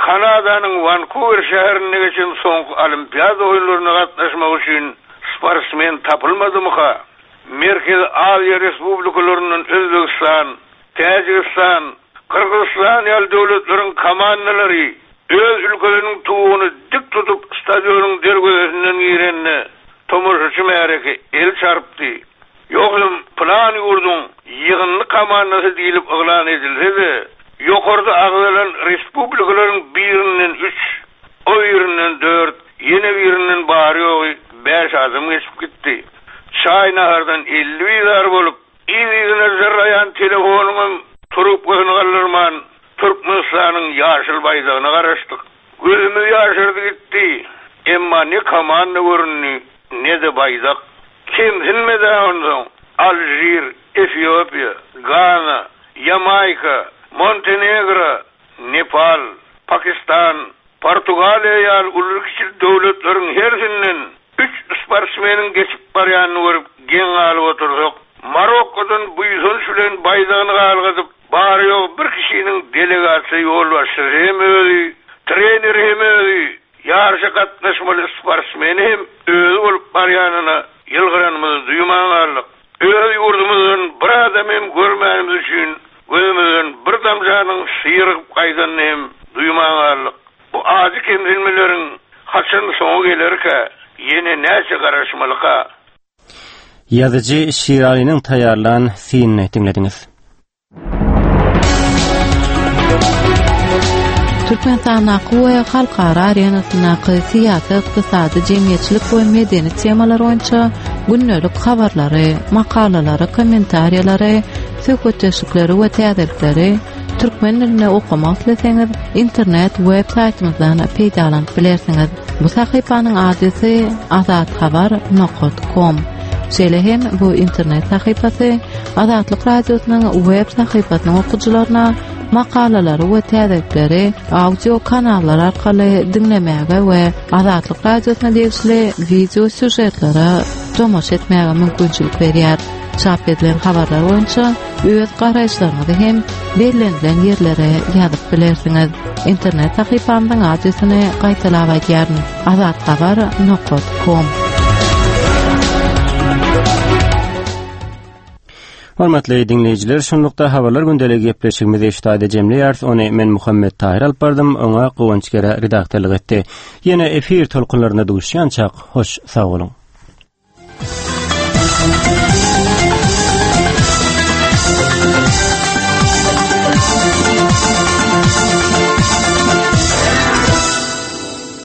Kanadanyň Wankuwer şäherinde geçen soňky Olimpiada oýunlaryna gatnaşmak üçin sportsmen tapylmadymyka? Merkezi Aziýa respublikalaryndan Özbegistan, Täjigistan, Gyrgyzystan ýaly döwletleriň komandalary öz ülkeleriniň tuguny dik tutup stadionyň derwezesinden girende tomaşaçy märeke el çarpdy. Ýogsam pylan ýurduň ýygyndy komandasy diýlip yglan edilse-de, ýokarda agzalan respublikalaryň birinden üç, o birinden dört, ýene birinden bary-ýogy bäş adam geçip gitdi. Çaý-nahardan elli bizar bolup, yz-yzyna jyrlaýan telefonyňam trubkasyny galdyrman, Türkmenistanyň ýaşyl baýdagyna garaşdyk. Gözümiz ýaşardy gitdi. Emma ne komanda göründi, ne-de baýdak. Kemsinmedi-ä onsoň, Alžir, Efiopiýa, Gana, Ýamaýka, Montenegro, Nepal, Pakistan, Portugaliýa ýaly ululy-kiçili döwletleriň hersinden üç sportsmeniň geçip barýanyny görüp geň galyp otursak, Marokkodan buýsanç bilen baýdagyny galgadyp, bary-ýogy bir kişiniň delegasiýa ýolbaşçysy hem özi, treneri hem özi, ýaryşa gatnaşmaly sportsmeni hem özi bolup barýanyna ýylgyranymyzy duýman galdyk. Öz ýurdumyzdan bir adam hem görmänimiz üçin gözümizden bir damjanyň syrygyp gaýdanyny hem duýman galdyk. Bu ajy kemsinmeleriň haçan soňy gelerkä, ýene näçe garaşmalyka? Ýazyjy Şiralynyň taýýarlan synyny diňlediňiz. Türkmenistandaky we halkara arenasyndaky syýasy, ykdysady, jemgyýetçilik we medeni temalar boýunça gündelik habarlary, makalalary, kommentariýalary, söhbetdeşlikleri we täzelikleri türkmen dilinde okamak isleseňiz, internet web saýtymyzdan peýdalanyp bilersiňiz. Bu sahypanyň adresi azathabar nokat kom. Şeýle hem bu internet sahypasy Azatlyk Radiosynyň web sahypasynyň okyjylaryna makalalary we täzelikleri audio kanallar arkaly diňlemäge we Azatlyk Radiosyna degişli wideo sýužetlere tomaşa etmäge mümkinçilik berýär. Çap edilen habarlar boýunça öz garaýyşlaryňyzy hem bellenilen ýerlere ýazyp bilersiňiz. Internet sahypamyzyň adresini gaýtalap aýdýaryn: azathabar nokat kom. Hormatly diňleýjiler, şunlukda habarlar gündeligi gepleşigimizi eşitade jemleýäris. Ony men Muhammet Tahir alyp bardym, oňa Guwanç Gere redaktorlyk etdi. Ýene efir tolkunlarynda duşýançak, hoş sag boluň.